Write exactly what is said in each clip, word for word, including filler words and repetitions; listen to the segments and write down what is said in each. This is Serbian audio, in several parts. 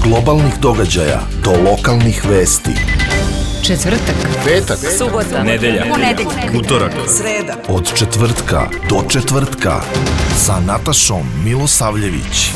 globalnih događaja do lokalnih vesti. Četvrtak, petak, subota, nedelja, ponedeljak, utorak, sreda. Od četvrtka do četvrtka sa Natašom Milosavljević.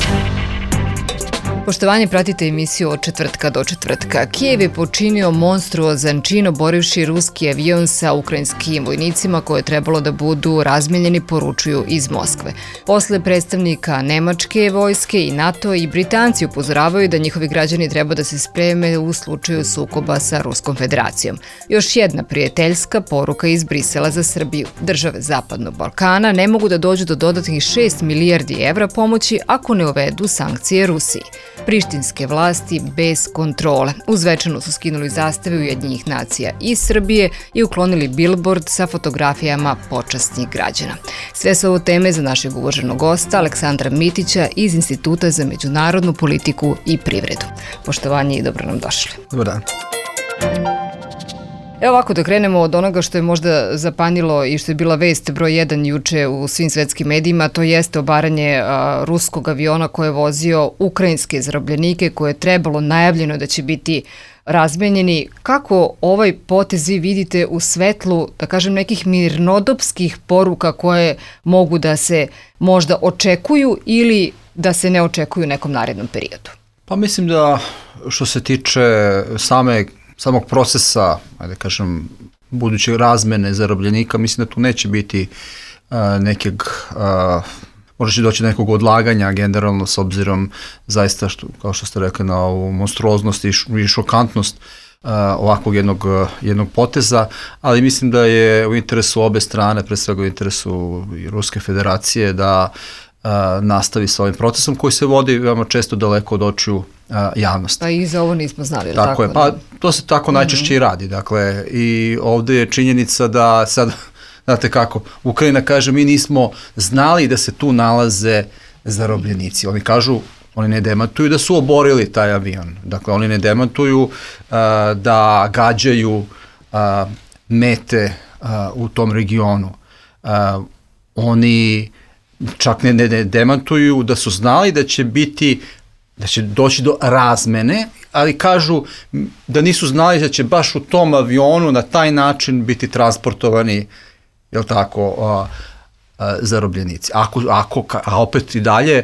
Poštovanje, pratite emisiju Od četvrtka do četvrtka. Kijev je počinio monstruozan čin oborivši ruski avion sa ukrajinskim vojnicima koje je trebalo da budu razmenjeni, poručuju iz Moskve. Posle predstavnika Nemačke vojske i NATO i Britanci upozoravaju da njihovi građani treba da se spreme u slučaju sukoba sa Ruskom federacijom. Još jedna prijateljska poruka iz Brisela za Srbiju. Države Zapadnog Balkana ne mogu da dođu do dodatnih šest milijardi evra pomoći ako ne uvedu sankcije Rusiji. Prištinske vlasti bez kontrole. U Zvečanu su skinuli zastave Ujedinjenih nacija iz Srbije i uklonili bilbord sa fotografijama počasnih građana. Sve su ovo teme za našeg uvaženog gosta Aleksandra Mitića iz Instituta za međunarodnu politiku i privredu. Poštovanje i dobro nam došli. Dobar dan. Evo ovako da krenemo od onoga što je možda zapanjilo i što je bila vest broj jedan juče u svim svetskim medijima, to jeste obaranje a, ruskog aviona koje je vozio ukrajinske zarobljenike koje je trebalo, najavljeno da će biti razmenjeni. Kako ovaj potez vi vidite u svetlu, da kažem, nekih mirnodopskih poruka koje mogu da se možda očekuju ili da se ne očekuju u nekom narednom periodu? Pa mislim da što se tiče same samog procesa, ajde kažem, buduće razmene zarobljenika, mislim da tu neće biti uh, nekog, uh, možda će doći nekog odlaganja generalno s obzirom zaista, što, kao što ste rekli, na ovu monstruoznost i, š, i šokantnost uh, ovakvog jednog, jednog poteza, ali mislim da je u interesu obe strane, pre svega u interesu i Ruske federacije, da Uh, nastavi sa ovim procesom koji se vodi veoma često daleko od očiju uh, javnosti. Pa i za ovo nismo znali. Tako, tako je, pa to se tako najčešće mm-hmm. i radi. Dakle, i ovde je činjenica da sad, znate kako, Ukrajina kaže mi nismo znali da se tu nalaze zarobljenici. Oni kažu, oni ne demantuju da su oborili taj avion. Dakle, oni ne demantuju uh, da gađaju uh, mete uh, u tom regionu. Uh, oni čak ne, ne, ne demantuju da su znali da će biti, da će doći do razmene, ali kažu da nisu znali da će baš u tom avionu na taj način biti transportovani, jel tako, a, a, zarobljenici. Ako, ako, a opet i dalje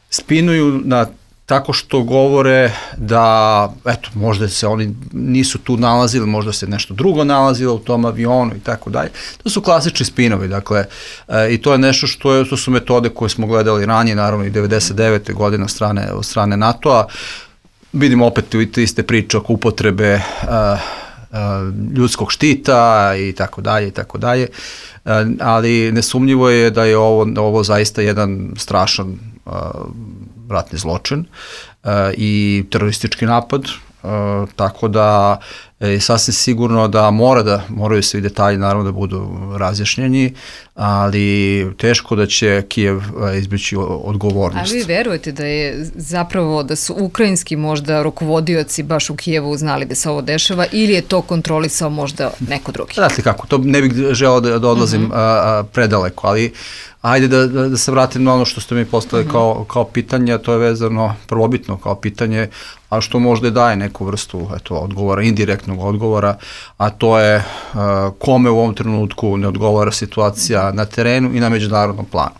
spinuju na tako što govore da, eto, možda se oni nisu tu nalazili, možda se nešto drugo nalazilo u tom avionu i tako dalje. To su klasični spinovi, dakle, e, i to je nešto što, je, to su metode koje smo gledali ranije, naravno i devedeset devete godine od strane, od strane NATO-a. Vidimo opet te iste priče oko upotrebe e, e, ljudskog štita i tako dalje i tako dalje, e, ali nesumnjivo je da je ovo, ovo zaista jedan strašan e, ratni zločin uh, i teroristički napad, uh, tako da je sasvim sigurno da mora da moraju svi detalji naravno da budu razjašnjeni, ali teško da će Kijev uh, izbjeći odgovornost. A vi verujete da je zapravo da su ukrajinski možda rukovodioci baš u Kijevu znali da se ovo dešava ili je to kontrolisao možda neko drugi? Znate kako, to ne bih želeo da, da odlazim mm-hmm. a, a, predaleko, ali ajde da, da, da se vratim na ono što ste mi postavili mm-hmm. kao, kao pitanje, a to je vezano prvobitno kao pitanje, a što možda daje neku vrstu eto, odgovora, indirektnog odgovora, a to je uh, kome u ovom trenutku ne odgovara situacija na terenu i na međunarodnom planu.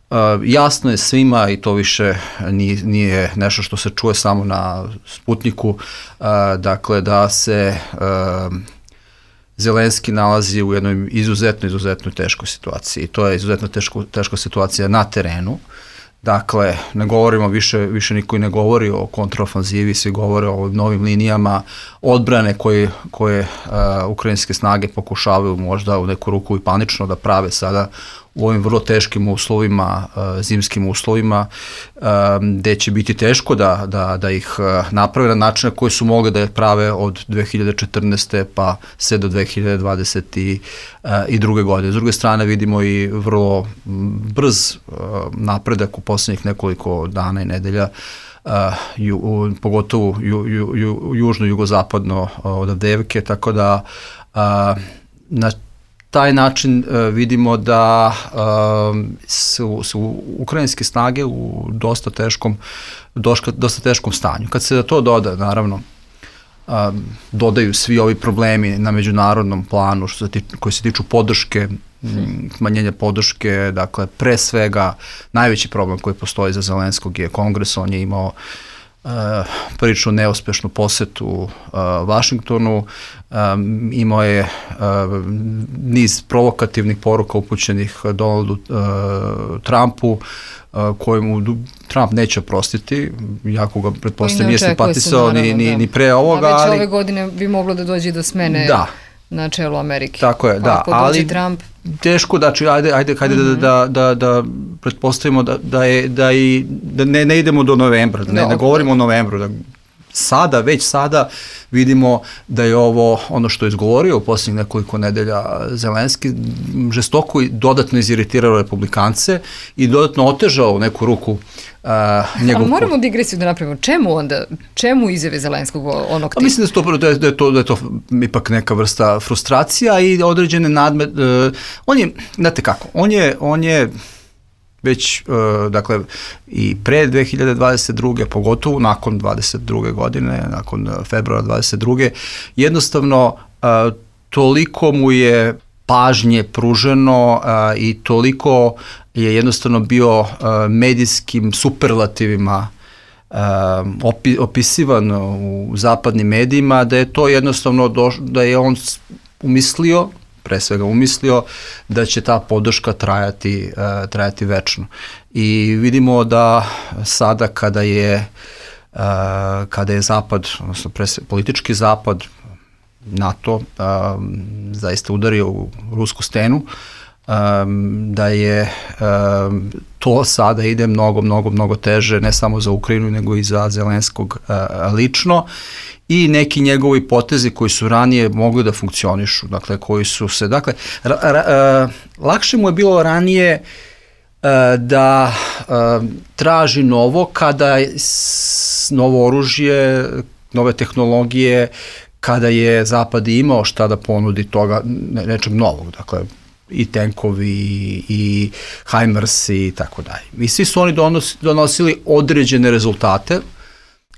Uh, jasno je svima i to više nije, nije nešto što se čuje samo na Sputniku, uh, dakle da se uh, Zelenski nalazi u jednoj izuzetno, izuzetno teškoj situaciji. To je izuzetno teško, teška situacija na terenu. Dakle, ne govorimo više, više niko i ne govori o kontraofanzivi, svi govore o novim linijama odbrane koje, koje uh, ukrajinske snage pokušavaju možda u neku ruku i panično da prave sada u ovim vrlo teškim uslovima, uh, zimskim uslovima, uh, gde će biti teško da, da, da ih uh, naprave na način na koji su mogli da ih prave od dve hiljade četrnaeste pa sve do dve hiljade dvadeset druge godine. S druge strane vidimo i vrlo brz uh, napredak u poslednjih nekoliko dana i nedelja, Uh, ju, u, pogotovo ju, ju, ju, južno, jugozapadno uh, od Avdijevke, tako da uh, na taj način uh, vidimo da uh, su, su ukrajinske snage u dosta teškom, doška, dosta teškom stanju. Kad se da to doda, naravno, uh, dodaju svi ovi problemi na međunarodnom planu što se tiču, koji se tiču podrške, smanjenja podrške, dakle, pre svega, najveći problem koji postoji za Zelenskog je Kongres, on je imao Uh, prilično neuspešnu posetu uh, Vašingtonu, um, imao je uh, niz provokativnih poruka upućenih Donaldu uh, Trumpu, uh, kojemu Trump neće oprostiti, jako ga pretpostavljam nije simpatisao ni, ni, ni pre ovoga. A već ali, ove godine bi moglo da dođe do smene da. na čelu Amerike. Tako je, pa da, ali Trump... teško, znači, ajde, ajde, ajde mm-hmm. da, da, da, da pretpostavimo da, da, je, da, i, da ne, ne idemo do novembra, da ne, no, ne govorimo o novembru, da sada, već sada vidimo da je ovo ono što je izgovorio u posljednjih nekoliko nedelja Zelenski, žestoko i dodatno iziritirao republikance i dodatno otežao neku ruku uh, njegov... Ali moramo digresiju da napravimo. Čemu onda, čemu izjave Zelenskog onog tipa? Mislim da je, to, da, je, da, je to, da je to ipak neka vrsta frustracija i određene nadme... Uh, on je, znate kako, on je, on je već, uh, dakle, i pre dve hiljade dvadeset druge, pogotovo nakon dvadeset druge godine, nakon februara dvadeset druge, jednostavno uh, toliko mu je pažnje pruženo uh, i toliko je jednostavno bio uh, medijskim superlativima uh, opi, opisivan u zapadnim medijima, da je to jednostavno, doš, da je on umislio, pre svega umislio da će ta podrška trajati, uh, trajati večno. I vidimo da sada kada je, uh, kada je Zapad, odnosno pre svega politički Zapad, NATO, uh, zaista udario u rusku stenu, um, da je um, to sada ide mnogo, mnogo, mnogo teže, ne samo za Ukrajinu, nego i za Zelenskog uh, lično. I neki njegovi potezi koji su ranije mogli da funkcionišu, dakle, koji su se, dakle, ra, ra, uh, lakše mu je bilo ranije uh, da uh, traži novo kada s, novo oružje, nove tehnologije, kada je Zapad imao šta da ponudi toga, ne, nečeg novog, dakle, i tenkovi, i Hajmers i tako dalje. I svi su oni donos, donosili određene rezultate,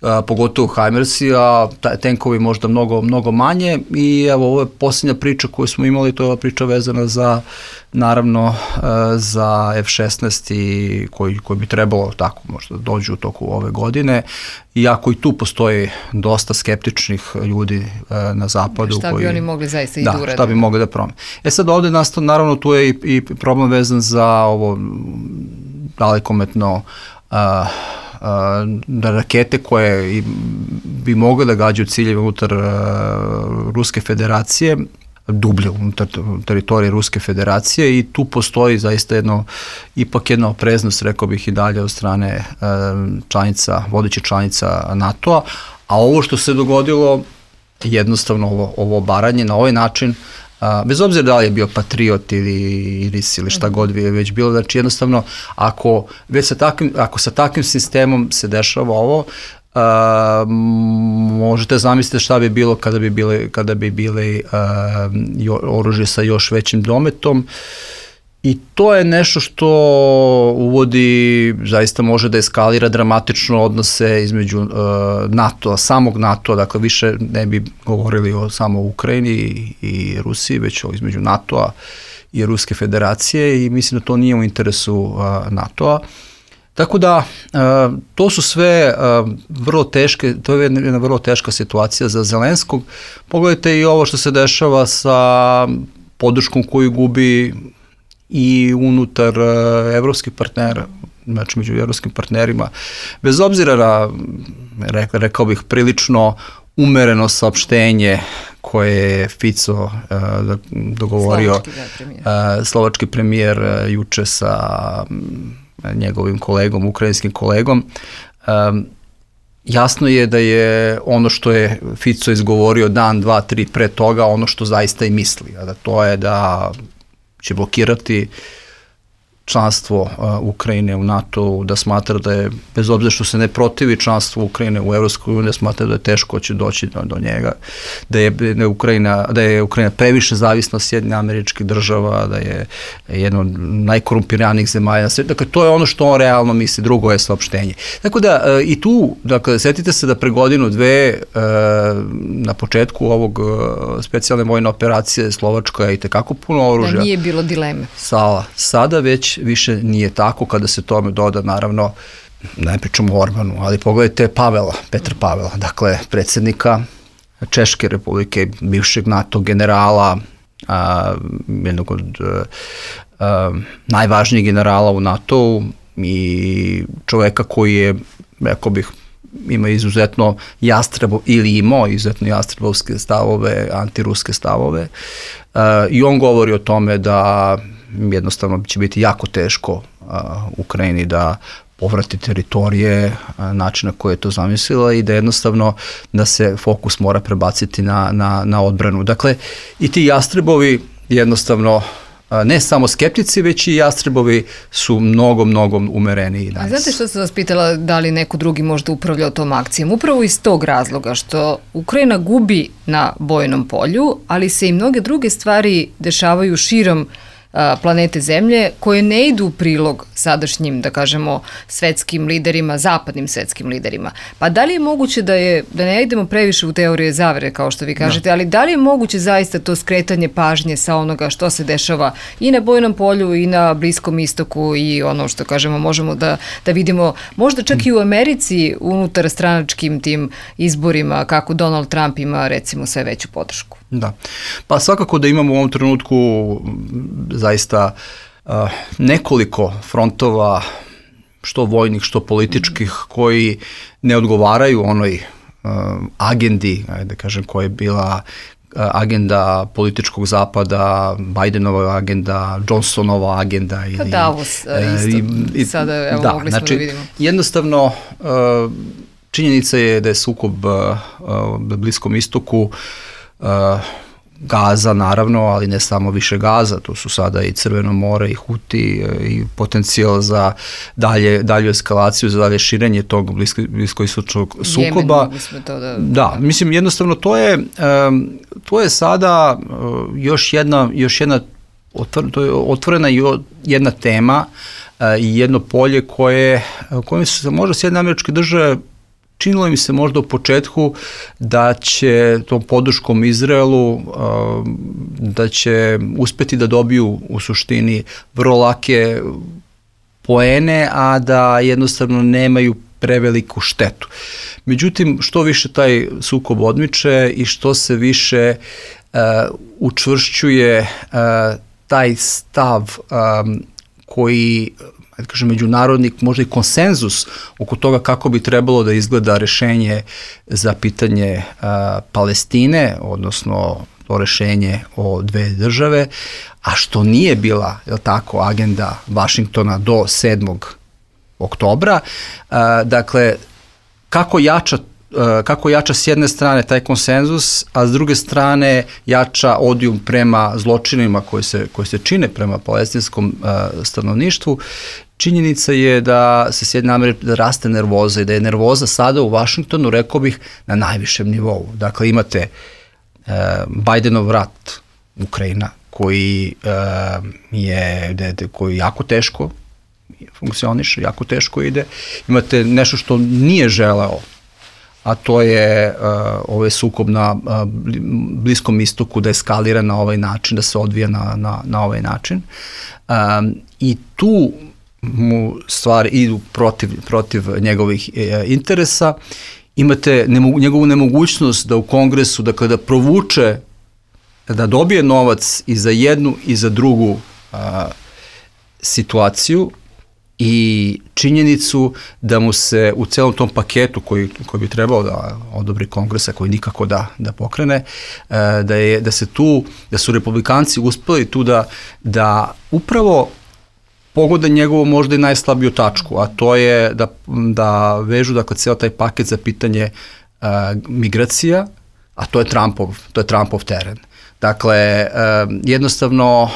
Uh, pogotovo Hajmersi, a tenkovi možda mnogo, mnogo manje i evo ovo je posljednja priča koju smo imali, to je ova priča vezana za, naravno, uh, za F šesnaest i koji, koji bi trebalo tako možda dođu u toku ove godine, iako i tu postoji dosta skeptičnih ljudi uh, na zapadu. Šta koji, bi oni mogli zaista i da urade? Da, šta bi mogli da promene. E sad ovde nastao, naravno tu je i, i problem vezan za ovo dalekometno uh, da rakete koje bi mogle da gađaju ciljeve unutar uh, Ruske federacije, dublje unutar teritorije Ruske federacije i tu postoji zaista jedno, ipak jedna opreznost, rekao bih i dalje od strane uh, članica, vodećih članica NATO-a, a ovo što se dogodilo, jednostavno ovo, ovo obaranje na ovaj način, Uh, bez obzira da li je bio patriot ili iris ili šta god je već bilo, znači jednostavno ako, već sa takvim, ako sa takvim sistemom se dešava ovo, uh, možete zamisliti šta bi bilo kada bi bile, kada bi bile uh, jo, oružje sa još većim dometom. I to je nešto što uvodi, zaista može da eskalira dramatično odnose između uh, NATO-a, samog NATO-a, dakle više ne bi govorili o samo Ukrajini i, i Rusiji, već o između NATO-a i Ruske federacije i mislim da to nije u interesu uh, NATO-a. Tako da, uh, to su sve uh, vrlo teške, to je jedna vrlo teška situacija za Zelenskog. Pogledajte i ovo što se dešava sa podrškom koju gubi i unutar uh, evropskih partnera, znači među evropskim partnerima, bez obzira na, rekao, rekao bih, prilično umereno saopštenje koje je Fico uh, dogovorio, slovački, da, premijer. Uh, slovački premijer uh, juče sa um, njegovim kolegom, ukrajinskim kolegom, um, jasno je da je ono što je Fico izgovorio dan, dva, tri pre toga, ono što zaista i misli, a da to je da će blokirati članstvo uh, Ukrajine u NATO, da smatra da je, bez obzira što se ne protivi članstvo Ukrajine u Evropskoj uniji, da smatra da je teško će doći do, do njega, da je, da, je Ukrajina, da je Ukrajina previše zavisna od Sjedinjenih Američkih Država, da je jedna od najkorumpiranijih zemalja na svijetu. Dakle, to je ono što on realno misli, drugo je saopštenje. Tako da uh, i tu, dakle, setite se da pre godinu, dve, uh, na početku ovog uh, specijalne vojne operacije Slovačka je i tekako puno oružja. Da nije bilo dileme. Sala. Sada već više nije tako, kada se tome doda, naravno, ne pričamo o Orbanu, ali pogledajte Pavela, Petra Pavela, dakle, predsjednika Češke republike, bivšeg NATO generala, a, jednog od a, a, najvažnijih generala u NATO-u i čoveka koji je, rekao bih, ima izuzetno jastrebo, ili imao izuzetno jastrebovske stavove, antiruske stavove. A, I on govori o tome da jednostavno će biti jako teško a, Ukrajini da povrati teritorije, a, način na koje je to zamislila i da jednostavno da se fokus mora prebaciti na, na, na odbranu. Dakle, i ti jastrebovi jednostavno a, ne samo skeptici, već i jastrebovi su mnogo, mnogo umereniji danas. A znate što sam vas pitala, da li neko drugi možda upravljao tom akcijom? Upravo iz tog razloga što Ukrajina gubi na bojnom polju, ali se i mnoge druge stvari dešavaju širom planete Zemlje, koje ne idu u prilog sadašnjim, da kažemo, svetskim liderima, zapadnim svetskim liderima. Pa da li je moguće da je, da ne idemo previše u teorije zavere, kao što vi kažete, no. ali da li je moguće zaista to skretanje pažnje sa onoga što se dešava i na bojnom polju i na Bliskom istoku i ono što kažemo, možemo da, da vidimo, možda čak i u Americi unutar stranačkim tim izborima, kako Donald Trump ima recimo sve veću podršku. Da, pa svakako da imamo u ovom trenutku zaista uh, nekoliko frontova, što vojnih, što političkih, koji ne odgovaraju onoj uh, agendi, da kažem, koja je bila uh, agenda političkog zapada, Bidenova agenda, Johnsonova agenda. Pa Davos uh, isto, i, i, sada evo, da, mogli smo znači, da vidimo. Jednostavno, uh, činjenica je da je sukob uh, na Bliskom istoku uh, Gaza, naravno, ali ne samo više Gaza, to su sada i Crveno more i Huti i potencijal za dalje, dalju eskalaciju, za dalje širenje tog blisko, bliskoistočnog sukoba. Jemen, to da, da, mislim, jednostavno to je, um, to je sada uh, još jedna, još jedna otvor, to je otvorena jedna tema uh, i jedno polje koje, kojim su se možda Sjedinjene Američke Države činilo mi se možda u početku da će tom podrškom Izraelu, da će uspeti da dobiju u suštini vrlo lake poene, a da jednostavno nemaju preveliku štetu. Međutim, što više taj sukob odmiče i što se više uh, učvršćuje uh, taj stav um, koji, da kažem, međunarodni, možda i konsenzus oko toga kako bi trebalo da izgleda rešenje za pitanje uh, Palestine, odnosno to rešenje o dve države, a što nije bila, je li tako, agenda Vašingtona do sedmog oktobra. Uh, dakle, kako jača kako jača s jedne strane taj konsenzus, a s druge strane jača odijum prema zločinima koji se, koji se čine prema palestinskom uh, stanovništvu. Činjenica je da se Sjedinjene Američke da raste nervoza i da je nervoza sada u Vašingtonu, rekao bih, na najvišem nivou. Dakle, imate uh, Bidenov rat Ukrajina, koji uh, je de, de, koji jako teško funkcioniše, jako teško ide. Imate nešto što nije želeo, a to je uh, ovaj sukob na uh, Bliskom istoku, da eskalira na ovaj način, da se odvija na, na, na ovaj način. Um, I tu mu stvari idu protiv, protiv njegovih e, interesa. Imate nemo, njegovu nemogućnost da u Kongresu, da kada provuče, da dobije novac i za jednu i za drugu uh, situaciju, i činjenicu da mu se u celom tom paketu koji, koji bi trebao da odobri Kongresa, koji nikako da, da pokrene, da, je, da se tu, da su republikanci uspeli tu da, da upravo pogode njegovu možda i najslabiju tačku, a to je da, da vežu, dakle, ceo taj paket za pitanje uh, migracija, a to je Trumpov, to je Trumpov teren. Dakle, jednostavno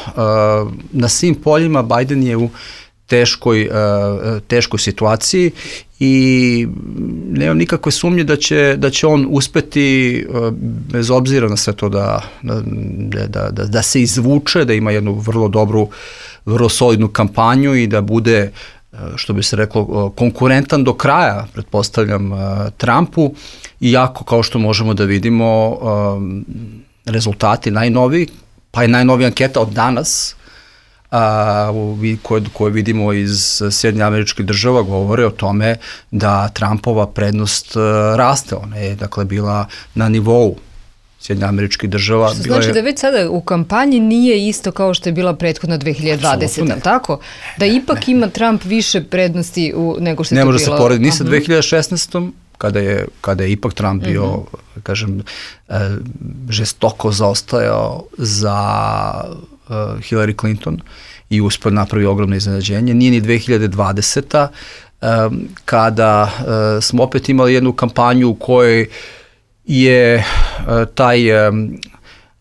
na svim poljima Biden je u teškoj, teškoj situaciji i nemam nikakve sumnje da će, da će on uspeti, bez obzira na sve to, da, da, da, da, da se izvuče, da ima jednu vrlo dobru, vrlo solidnu kampanju i da bude, što bi se reklo, konkurentan do kraja, pretpostavljam, Trumpu, iako, kao što možemo da vidimo, rezultati najnoviji, pa je najnovija anketa od danas, a, koje, koje vidimo iz Sjedinjenih Američkih Država, govore o tome da Trumpova prednost a, raste. Ona je, dakle, bila na nivou Sjedinjenih Američkih Država. Što znači je... da već sada u kampanji nije isto kao što je bila prethodna dve hiljade dvadesete, tako? Da ipak ne, ima Trump više prednosti u, nego što je ne to bilo... Ne može se porediti ni sa dve hiljade šesnaestom kada je, kada je ipak Trump bio, mm-hmm. kažem, žestoko zaostajao za uh, Hillary Clinton i uspio napravi ogromno iznenađenje. Nije ni dve hiljade dvadeseta um, kada uh, smo opet imali jednu kampanju u kojoj je uh, taj um,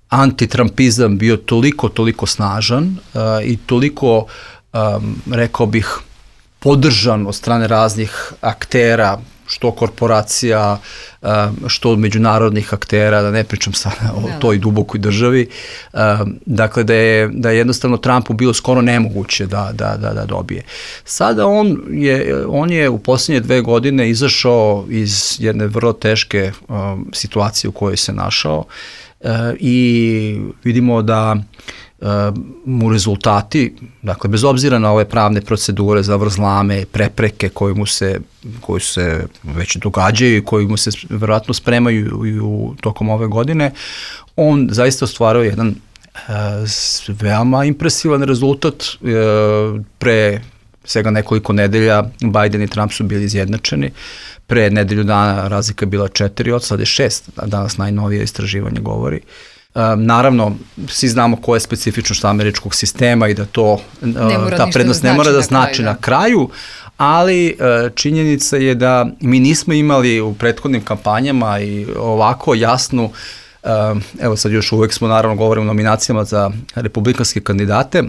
antitrumpizam bio toliko, toliko snažan uh, i toliko, um, rekao bih, podržan od strane raznih aktera, što korporacija, što od međunarodnih aktera, da ne pričam sada o toj dubokoj državi. Dakle, da je, da je jednostavno Trumpu bilo skoro nemoguće da, da, da, da dobije. Sada on je, on je u posljednje dve godine izašao iz jedne vrlo teške um, situacije u kojoj se našao uh, i vidimo da Uh, mu rezultati, dakle, bez obzira na ove pravne procedure, zavrzlame, prepreke koje mu se, koje se već događaju i koji mu se verovatno spremaju i u tokom ove godine, on zaista ostvarao jedan uh, veoma impresivan rezultat. Uh, pre svega nekoliko nedelja Biden i Trump su bili izjednačeni. Pre nedelju dana razlika je bila četiri od, sad je šest, danas najnovije istraživanje govori. Um, naravno, svi znamo koja je specifičnost američkog sistema i da to, uh, ta prednost ne mora da znači na kraju, ali uh, činjenica je da mi nismo imali u prethodnim kampanjama i ovako jasnu, uh, evo sad još uvek smo naravno govorimo o nominacijama za republikanske kandidate,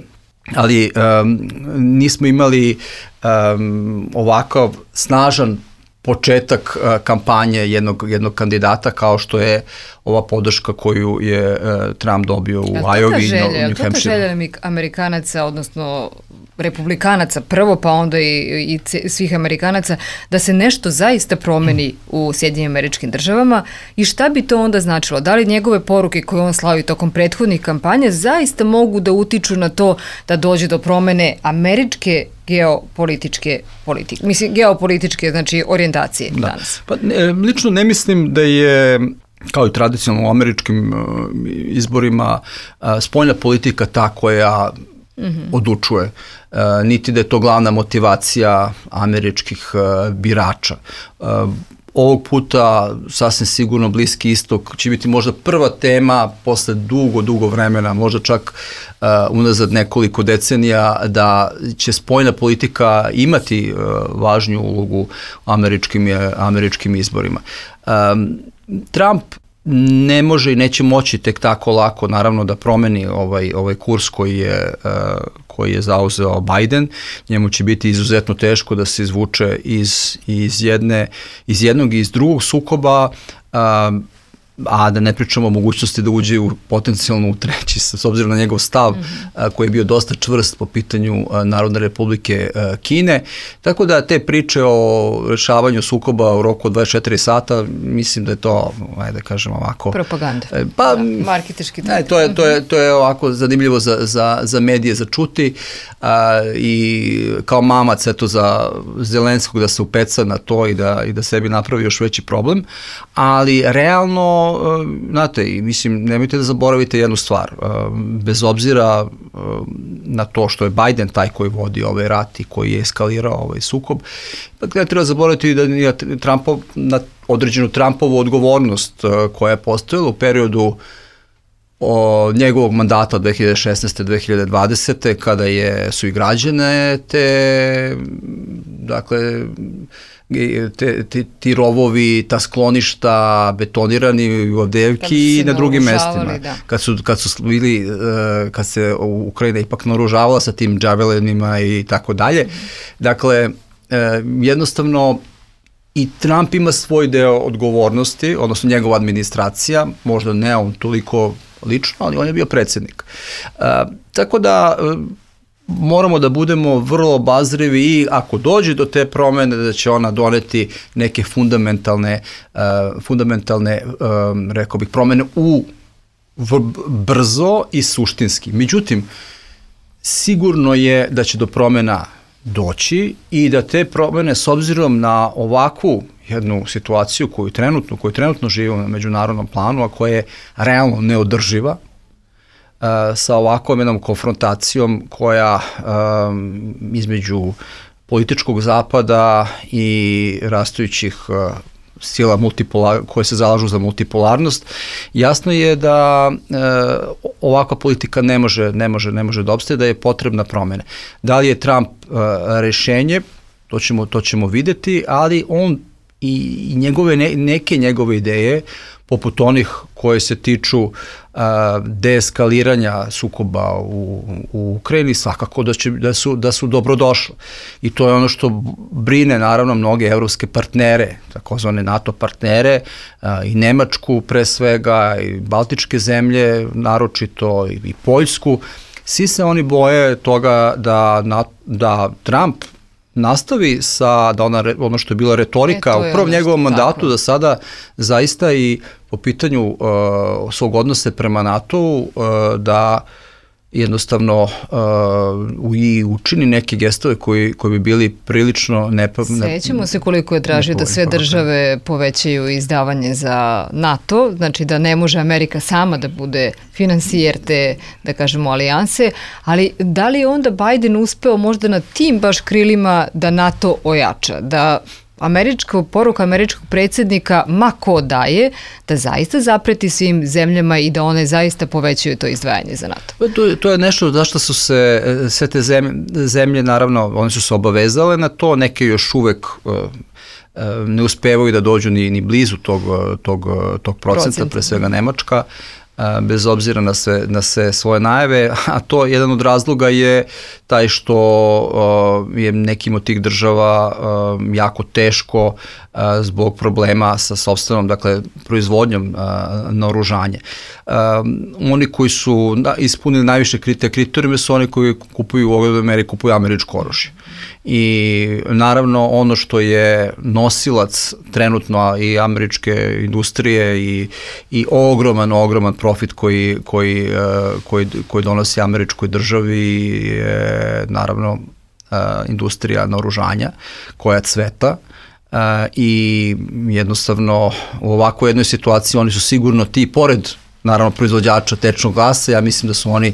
ali um, nismo imali um, ovakav snažan početak uh, kampanje jednog, jednog kandidata kao što je ova podrška koju je uh, Trump dobio u Iowa i New Hampshire. To je želja Amerikanaca, odnosno republikanaca prvo, pa onda i, i svih Amerikanaca, da se nešto zaista promeni u Sjedinjenim Američkim Državama i šta bi to onda značilo? Da li njegove poruke koje on slavi tokom prethodnih kampanja zaista mogu da utiču na to da dođe do promene američke geopolitičke politike, mislim geopolitičke, znači orijentacije da. danas? Pa ne, lično ne mislim da je, kao i tradicionalno u američkim uh, izborima, uh, spoljna politika ta koja mm-hmm. odlučuje. Uh, niti da je to glavna motivacija američkih uh, birača. Uh, ovog puta sasvim sigurno Bliski istok će biti možda prva tema posle dugo, dugo vremena, možda čak uh, unazad nekoliko decenija, da će spoljna politika imati uh, važniju ulogu u američkim, američkim izborima. Um, Trump ne može i neće moći tek tako lako, naravno, da promeni ovaj, ovaj kurs koji je, uh, koji je zauzeo Biden. Njemu će biti izuzetno teško da se izvuče iz, iz, jedne, iz jednog i iz drugog sukoba, uh, a da ne pričamo o mogućnosti da uđe u potencijalno u treći, s obzirom na njegov stav mm-hmm. a, koji je bio dosta čvrst po pitanju a, Narodne Republike a, Kine. Tako da te priče o rešavanju sukoba u roku od dvadeset četiri sata, mislim da je to, ajde da kažem ovako... Propaganda. E, pa, da, marketički. Ne, to je, to, je, to je ovako zanimljivo za, za, za medije za čuti a, i kao mamac eto za Zelenskog da se upeca na to i da, i da sebi napravi još veći problem, ali realno znate, i mislim, nemojte da zaboravite jednu stvar, bez obzira na to što je Biden taj koji vodi ovaj rat i koji je eskalirao ovaj sukob, dakle, treba zaboraviti da je Trumpov, na određenu Trumpovu odgovornost koja je postojala u periodu o njegovog mandata dve hiljade šesnaeste do dve hiljade dvadesete kada je, su i građane te, dakle, te, te, ti rovovi, ta skloništa betonirani u Avdijevki i na drugim mestima. Da. Kad su, kad su bili, kad se Ukrajina ipak naoružavala sa tim džavelinima i tako dalje. Dakle, jednostavno i Trump ima svoj deo odgovornosti, odnosno njegova administracija, možda ne on toliko lično, ali on je bio predsjednik. E, tako da e, moramo da budemo vrlo obazrivi i ako dođe do te promene da će ona doneti neke fundamentalne, e, fundamentalne e, rekao bih, promene u v, brzo i suštinski. Međutim, sigurno je da će do promena doći i da te promene s obzirom na ovakvu jednu situaciju koju trenutno, koju trenutno živimo na međunarodnom planu, a koja je realno neodrživa, uh, sa ovakvom jednom konfrontacijom koja um, između političkog zapada i rastujućih uh, sila multipolar, koje se zalažu za multipolarnost, jasno je da e, ovakva politika ne može, ne može, ne može da opstaje, da je potrebna promene. Da li je Trump e, rešenje, to ćemo, to ćemo videti, ali on i, i njegove, ne, neke njegove ideje, poput onih koje se tiču a, deeskaliranja sukoba u, u Ukrajini, svakako da, će, da, su, da su dobrodošle. I to je ono što brine naravno mnoge evropske partnere, takozvane NATO partnere, a, i Nemačku pre svega, i Baltičke zemlje, naročito i, i Poljsku. Svi se oni boje toga da, na, da Trump nastavi sa, da ona, ono što je bila retorika e, u prvom njegovom mandatu, tako. Da sada zaista i po pitanju uh, svog odnose prema NATO-u, uh, da jednostavno uh, i učini neke gestove koji, koji bi bili prilično nepovoljni. Sećamo se koliko je tražio da sve države povećaju izdavanje za NATO, znači da ne može Amerika sama da bude finansijer te, da kažemo, alijanse, ali da li je onda Biden uspeo možda na tim baš krilima da NATO ojača, da američka poruka američkog predsjednika, ma ko daje, da zaista zapreti svim zemljama i da one zaista povećaju to izdvajanje za NATO. To, to je nešto zašto su se sve te zemlje, zemlje, naravno, one su se obavezale na to, neke još uvek uh, ne uspevaju da dođu ni, ni blizu tog, tog, tog procenta, Procent. Pre svega Nemačka, bez obzira na sve, na sve svoje najave, a to jedan od razloga je taj što uh, je nekim od tih država uh, jako teško uh, zbog problema sa sopstvenom, dakle, proizvodnjom uh, naoružanja. Uh, oni koji su da, ispunili najviše kriterijume su oni koji kupuju u ovoj meri, kupuju američko oružje. I naravno ono što je nosilac trenutno i američke industrije i, i ogroman, ogroman profit koji, koji, koji, koji donosi američkoj državi je naravno industrija naoružanja koja cveta. Uh, i jednostavno u ovakvoj jednoj situaciji oni su sigurno ti, pored naravno proizvođača tečnog gasa, ja mislim da su oni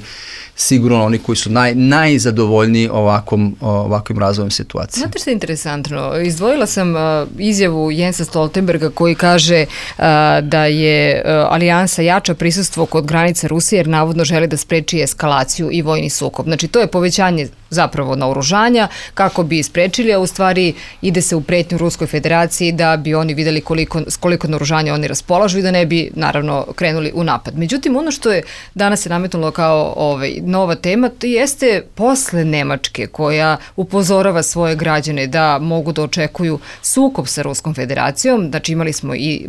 sigurno oni koji su naj, najzadovoljniji ovakvom, ovakvim razvojem situacije. Znate što je interesantno? Izdvojila sam uh, izjavu Jensa Stoltenberga koji kaže uh, da je uh, alijansa jača prisustvo kod granice Rusije jer navodno želi da spreči eskalaciju i vojni sukob. Znači to je povećanje zapravo naoružanja kako bi sprečili, a u stvari ide se u pretnju Ruskoj federaciji da bi oni videli koliko, koliko naoružanja oni raspolažu i da ne bi naravno krenuli u napad. Međutim, ono što je danas se nametnulo kao ovaj, nova tema, to jeste posle Nemačke koja upozorava svoje građane da mogu da očekuju sukob sa Ruskom federacijom, znači imali smo i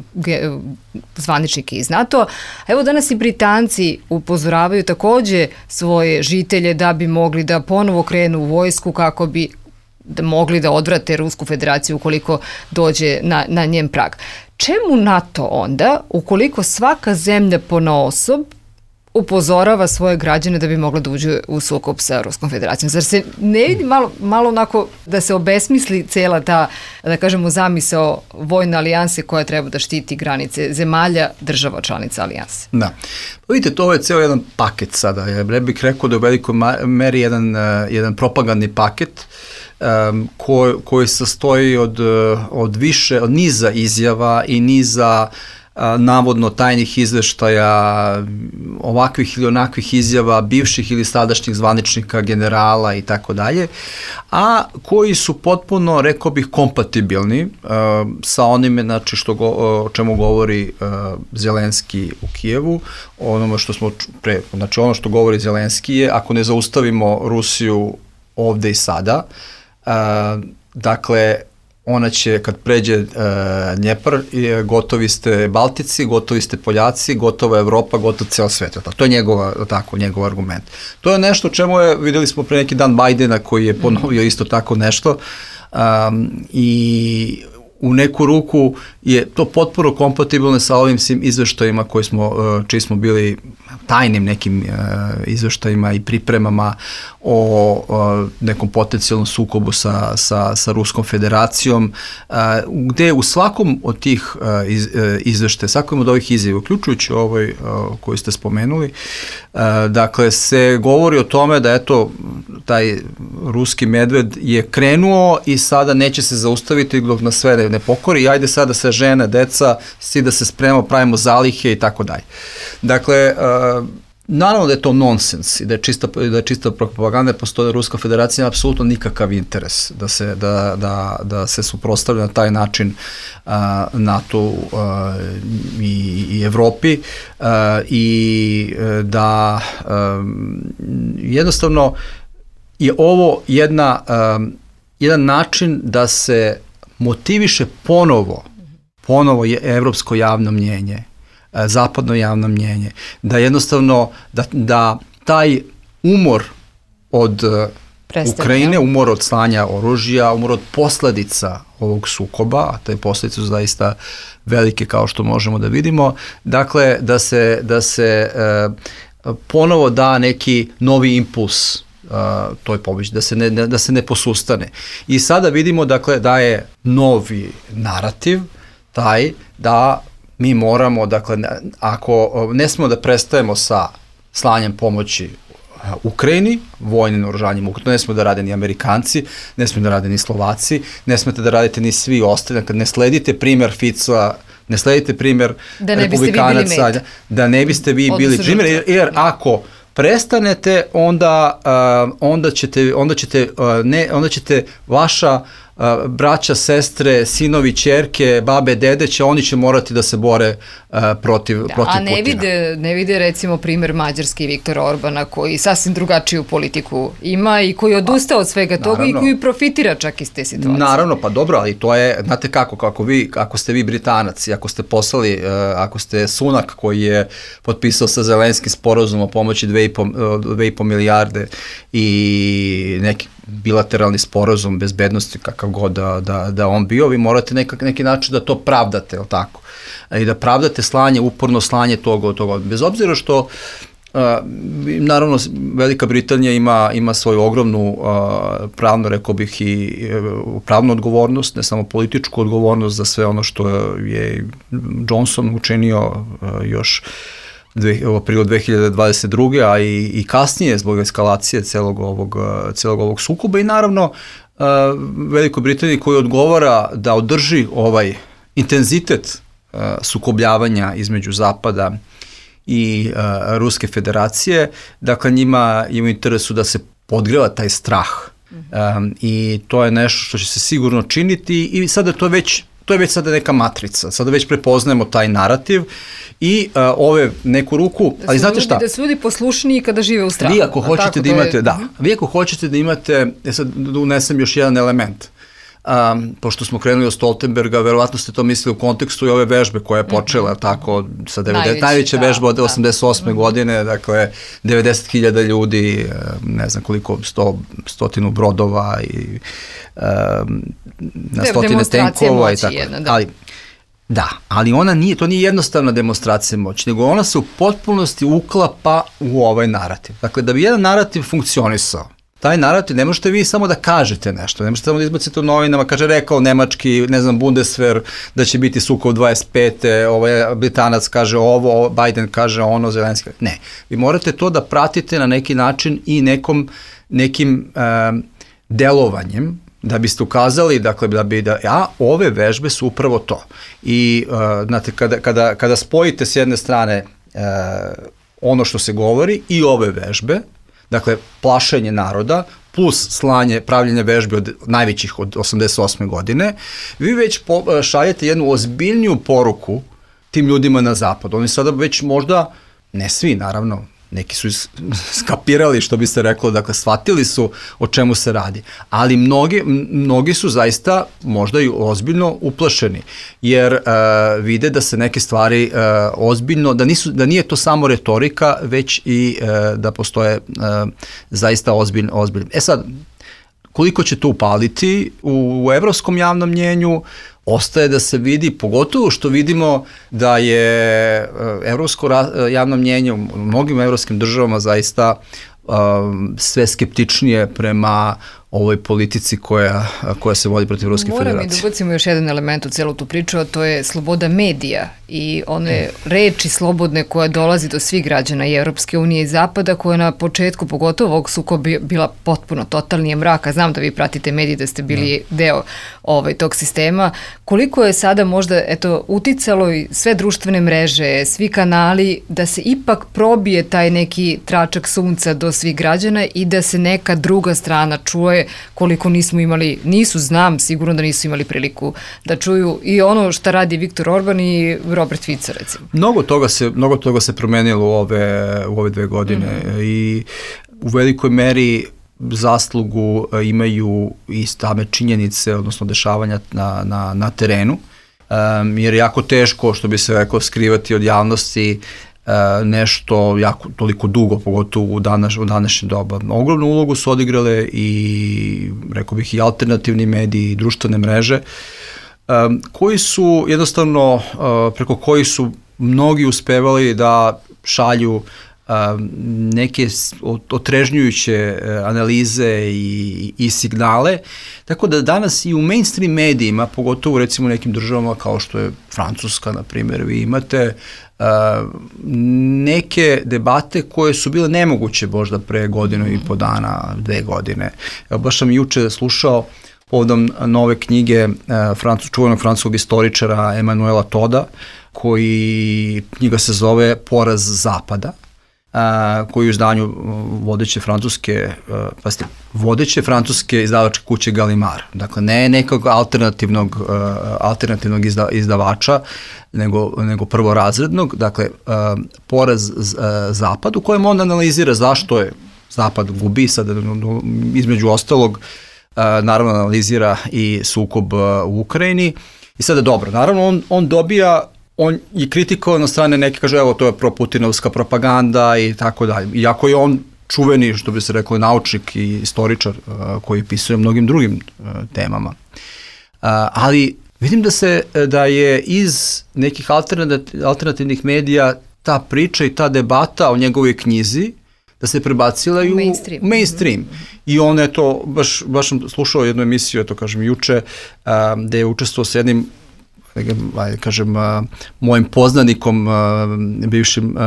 zvaničnike iz NATO-a, evo danas i Britanci upozoravaju takođe svoje žitelje da bi mogli da ponovo krenu u vojsku kako bi da mogli da odvrate Rusku federaciju ukoliko dođe na, na njen prag. Čemu NATO onda, ukoliko svaka zemlja ponaosob upozorava svoje građane da bi mogla da uđe u sukob sa Ruskom federacijom? Zar se ne vidi malo, malo onako da se obesmisli cela ta, da kažemo, zamisao vojne alijanse koja treba da štiti granice zemalja, država članica alijanse? Da. Pa vidite, to je ceo jedan paket sada. Ja bih rekao da je u velikoj meri jedan, jedan propagandni paket um, ko, koji sastoji od, od više, od niza izjava i niza a, navodno tajnih izveštaja, ovakvih ili onakvih izjava bivših ili sadašnjih zvaničnika, generala i tako dalje, a koji su potpuno, rekao bih, kompatibilni a, sa onime, znači, što go, o čemu govori a, Zelenski u Kijevu, onome što smo pre, znači ono što govori Zelenski je, ako ne zaustavimo Rusiju ovde i sada, a, dakle, ona će, kad pređe uh, Dnjepar, gotovi ste Baltici, gotovi ste Poljaci, gotova Evropa, gotov ceo svet. To je njegova, tako, njegov argument. To je nešto čemu je, videli smo pre neki dan Bajdena koji je ponovio isto tako nešto um, i u neku ruku je to potpuno kompatibilno sa ovim svim izveštajima koji smo, čiji smo bili tajnim nekim izveštajima i pripremama o nekom potencijalnom sukobu sa, sa, sa Ruskom federacijom, gde u svakom od tih izveštaja, svakom od ovih izjava, uključujući ovoj koji ste spomenuli, dakle se govori o tome da eto taj ruski medved je krenuo i sada neće se zaustaviti dok nas sve ne, ne pokori i ajde sada se žene, deca, svi da se spremamo, pravimo zalihe i tako dalje. Dakle, uh, naravno da je to nonsens i da je čista, da je čista propaganda, postoje Ruska federacija, nema apsolutno nikakav interes da se, da, da, da se suprotstavlja na taj način uh, NATO uh, i, i Evropi uh, i uh, da um, jednostavno je ovo jedna, um, jedan način da se motiviše ponovo, ponovo je evropsko javno mnjenje, zapadno javno mnjenje, da jednostavno, da, da taj umor od Prestanje. Ukrajine, umor od slanja oružja, umor od posledica ovog sukoba, a te posledice su zaista velike kao što možemo da vidimo, dakle, da se, da se e, ponovo da neki novi impuls Uh, to je pobjeć, da se ne, da se ne posustane. I sada vidimo, dakle, da je novi narativ taj da mi moramo, dakle, ako ne smemo da prestajemo sa slanjem pomoći Ukrajini, vojnim naoružanjem Ukrajini, ne smemo da rade ni Amerikanci, ne smemo da rade ni Slovaci, ne smete da radite ni svi ostali, kad ne sledite primer Fica, ne sledite primer da republikanaca, da ne biste vi bili primer, jer, jer ako prestanete, onda, uh, onda ćete, onda ćete, uh, ne, onda ćete vaša uh, braća, sestre, sinovi, ćerke, babe, dede će, oni će morati da se bore uh, protiv, da, protiv Putina. A ne vide, ne vide recimo primer Mađarske i Viktora Orbana koji sasvim drugačiju politiku ima i koji odustao od svega toga naravno, i koji profitira čak iz te situacije. Naravno, pa dobro, ali to je, znate kako, kako vi, ako ste vi Britanac i ako ste poslali, uh, ako ste Sunak koji je potpisao sa Zelenskim sporazum o pomoći dve i po milijarde i neki bilateralni sporazum bezbednosti kakav god da, da, da on bio, vi morate nekak, neki način da to pravdate, jel tako? I da pravdate slanje, uporno slanje toga, toga. Bez obzira što uh, naravno Velika Britanija ima, ima svoju ogromnu uh, pravno, rekao bih, i uh, pravnu odgovornost, ne samo političku odgovornost za sve ono što je Johnson učinio uh, još u aprilu dve hiljade dvadeset druge. a i, i kasnije zbog eskalacije celog ovog, celog ovog sukoba i naravno uh, Velikoj Britaniji koji odgovara da održi ovaj intenzitet uh, sukobljavanja između Zapada i uh, Ruske federacije, dakle njima je u interesu da se podgreva taj strah um, i to je nešto što će se sigurno činiti i sada to već To je već sada neka matrica, sada već prepoznajemo taj narativ i uh, ove neku ruku, da ali znate ljudi, šta? Da su ljudi poslušniji kada žive u strahu. Vi ako hoćete da imate, je... da, vi ako hoćete da imate, ja sad da unesem još jedan element, um, pošto smo krenuli od Stoltenberga, verovatno ste to mislili u kontekstu i ove vežbe koja je počela, mm-hmm. tako, sa devedeset, najveća da, vežba od osamdeset osme Da. godine, dakle, devedeset hiljada ljudi, ne znam koliko, sto, stotinu brodova i um, na stotine tenkova i tako. Jedna, da. Ali, da, ali ona nije, to nije jednostavna demonstracija moći, nego ona se u potpunosti uklapa u ovaj narativ. Dakle, da bi jedan narativ funkcionisao, taj narativ, ne možete vi samo da kažete nešto, ne možete samo da izbacite u novinama, kaže rekao nemački, ne znam, Bundeswehr, da će biti sukob dvadeset pete ovaj Britanac kaže ovo, Biden kaže ono, Zelenski. Ne, vi morate to da pratite na neki način i nekom, nekim um, delovanjem, da biste ukazali, dakle, da bi, da, a ove vežbe su upravo to. I, uh, znate, kada, kada, kada spojite s jedne strane uh, ono što se govori i ove vežbe, dakle, plašenje naroda, plus slanje, pravljenje vežbe od najvećih od osamdeset osme godine, vi već po, šaljete jednu ozbiljniju poruku tim ljudima na zapadu. Oni sada već možda, ne svi naravno, neki su skapirali, što bi se reklo, dakle, shvatili su o čemu se radi, ali mnogi, mnogi su zaista možda i ozbiljno uplašeni, jer uh, vide da se neke stvari uh, ozbiljno, da, nisu, da nije to samo retorika, već i uh, da postoje uh, zaista ozbiljno, ozbiljno. E sad, koliko će to upaliti u, u evropskom javnom mnjenju, ostaje da se vidi, pogotovo što vidimo da je evropsko javno mnjenje u mnogim evropskim državama zaista um, sve skeptičnije prema ovoj politici koja, koja se vodi protiv Ruske Moram federacije. Moram i da ubacimo još jedan element u celu tu priču, a to je sloboda medija i one reči slobodne koja dolazi do svih građana i Evropske unije i Zapada, koja na početku, pogotovo ovog sukoba, bila potpuno totalnije mraka. Znam da vi pratite mediji, da ste bili no. deo ovaj, tog sistema. Koliko je sada možda eto, uticalo i sve društvene mreže, svi kanali, da se ipak probije taj neki tračak sunca do svih građana i da se neka druga strana čuje, koliko nismo imali, nisu, znam, sigurno da nisu imali priliku da čuju i ono šta radi Viktor Orban i Robert Fico, recimo. Mnogo toga se, mnogo toga se promenilo u ove, u ove dve godine mm-hmm. i u velikoj meri zaslugu imaju i same činjenice, odnosno dešavanja na, na, na terenu, um, jer je jako teško, što bi se rekao, skrivati od javnosti Uh, nešto jako toliko dugo, pogotovo u, danas, u današnje doba. Ogromnu ulogu su odigrale i, rekao bih, i alternativni mediji i društvene mreže, um, koji su jednostavno, uh, preko kojih su mnogi uspevali da šalju um, neke otrežnjujuće analize i, i signale, tako da danas i u mainstream medijima, pogotovo recimo u nekim državama kao što je Francuska, na primjer, vi imate Uh, neke debate koje su bile nemoguće možda pre godinu i po dana, dve godine. Evo, baš sam juče slušao povodom nove knjige uh, Francu, čuvenog francuskog istoričara Emanuela Toda, koji knjiga se zove Poraz Zapada, Uh, koji u izdanju vodeće francuske, uh, pazite, vodeće francuske izdavačke kuće Gallimard. Dakle, ne nekog alternativnog, uh, alternativnog izda, izdavača, nego, nego prvorazrednog, dakle, uh, Poraz uh, Zapad, u kojem on analizira zašto je Zapad gubi, sad između ostalog, uh, naravno analizira i sukob uh, u Ukrajini. I sada dobro, naravno on, on dobija, on je kritikovan na strane neke, kaže, evo, to je proputinovska propaganda i tako dalje. Iako je on čuveni, što bi se reklo, naučnik i istoričar uh, koji pisuje mnogim drugim uh, temama. Uh, ali vidim da se, da je iz nekih alternativnih medija ta priča i ta debata o njegovoj knjizi, da se prebacila i u mainstream. mainstream. Mm-hmm. I on je to, baš, baš sam slušao jednu emisiju, eto kažem, juče, uh, gde je učestvovao s jednim, ajde kažem, uh, mojim poznanikom, uh, bivšim uh,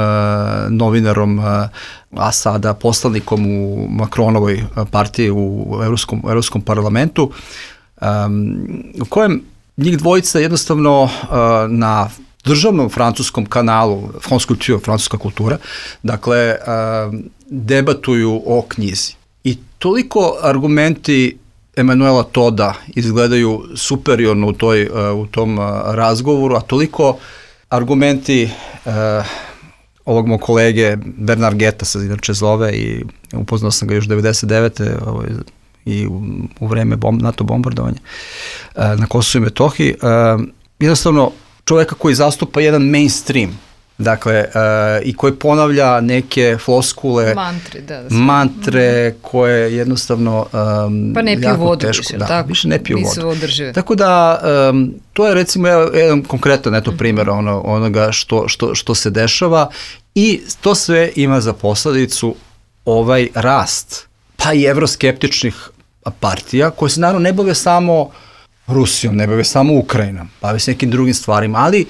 novinarom, uh, a sada poslanikom u Macronovoj partiji u Evropskom, Evropskom parlamentu, um, u kojem njih dvojica jednostavno uh, na državnom francuskom kanalu, France Culture, francuska kultura, dakle, uh, debatuju o knjizi. I toliko argumenti Emanuela Toda izgledaju superiorno u, toj, uh, u tom uh, razgovoru, a toliko argumenti uh, ovog mog kolege Bernard Geta se inače zove i upoznao sam ga još devedeset devete Ovaj, i u, u vreme bom, NATO bombardovanja uh, na Kosovu i Metohiji. Uh, jednostavno, čoveka koji zastupa jedan mainstream, dakle, uh, i koji ponavlja neke floskule, mantre, da, da mantre koje jednostavno um, pa ne piju vodu teško, više, da, tako, više ne piju nisu vodu. održive. Tako da, um, to je recimo jedan konkretan eto, primjer ono, onoga što, što, što se dešava i to sve ima za posledicu ovaj rast, pa i evroskeptičnih partija, koje se naravno ne bave samo Rusijom, ne bave samo Ukrajinom, bave se nekim drugim stvarima, ali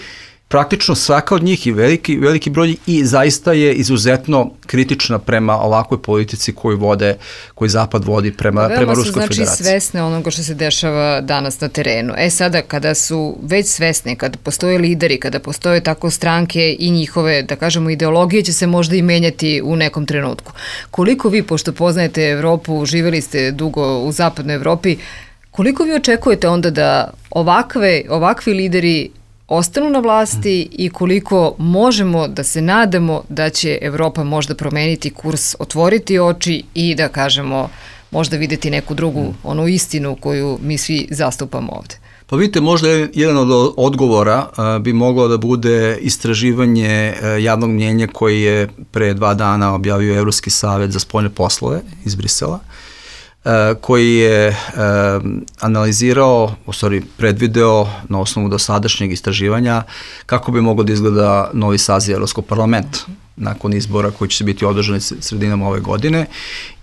praktično svaka od njih i veliki, veliki broj i zaista je izuzetno kritična prema ovakvoj politici koju vode, koju Zapad vodi prema, prema Ruskoj znači federaciji. Veoma su svesne onoga što se dešava danas na terenu. E sada, kada su već svesne, kada postoje lideri, kada postoje tako stranke i njihove, da kažemo, ideologije će se možda i menjati u nekom trenutku. Koliko vi, pošto poznajete Evropu, živjeli ste dugo u zapadnoj Evropi, koliko vi očekujete onda da ovakve, ovakvi lideri ostanu na vlasti i koliko možemo da se nadamo da će Evropa možda promeniti kurs, otvoriti oči i da kažemo možda videti neku drugu onu istinu koju mi svi zastupamo ovde? Pa vidite, možda jedan od odgovora uh, bi moglo da bude istraživanje uh, javnog mnjenja koji je pre dva dana objavio Evropski savet za spoljne poslove iz Brisela, uh, koji je uh, analizirao, u stvari predvideo na osnovu dosadašnjeg istraživanja kako bi moglo da izgleda novi saziv Evropskog parlamenta nakon izbora koji će se biti održani sredinom ove godine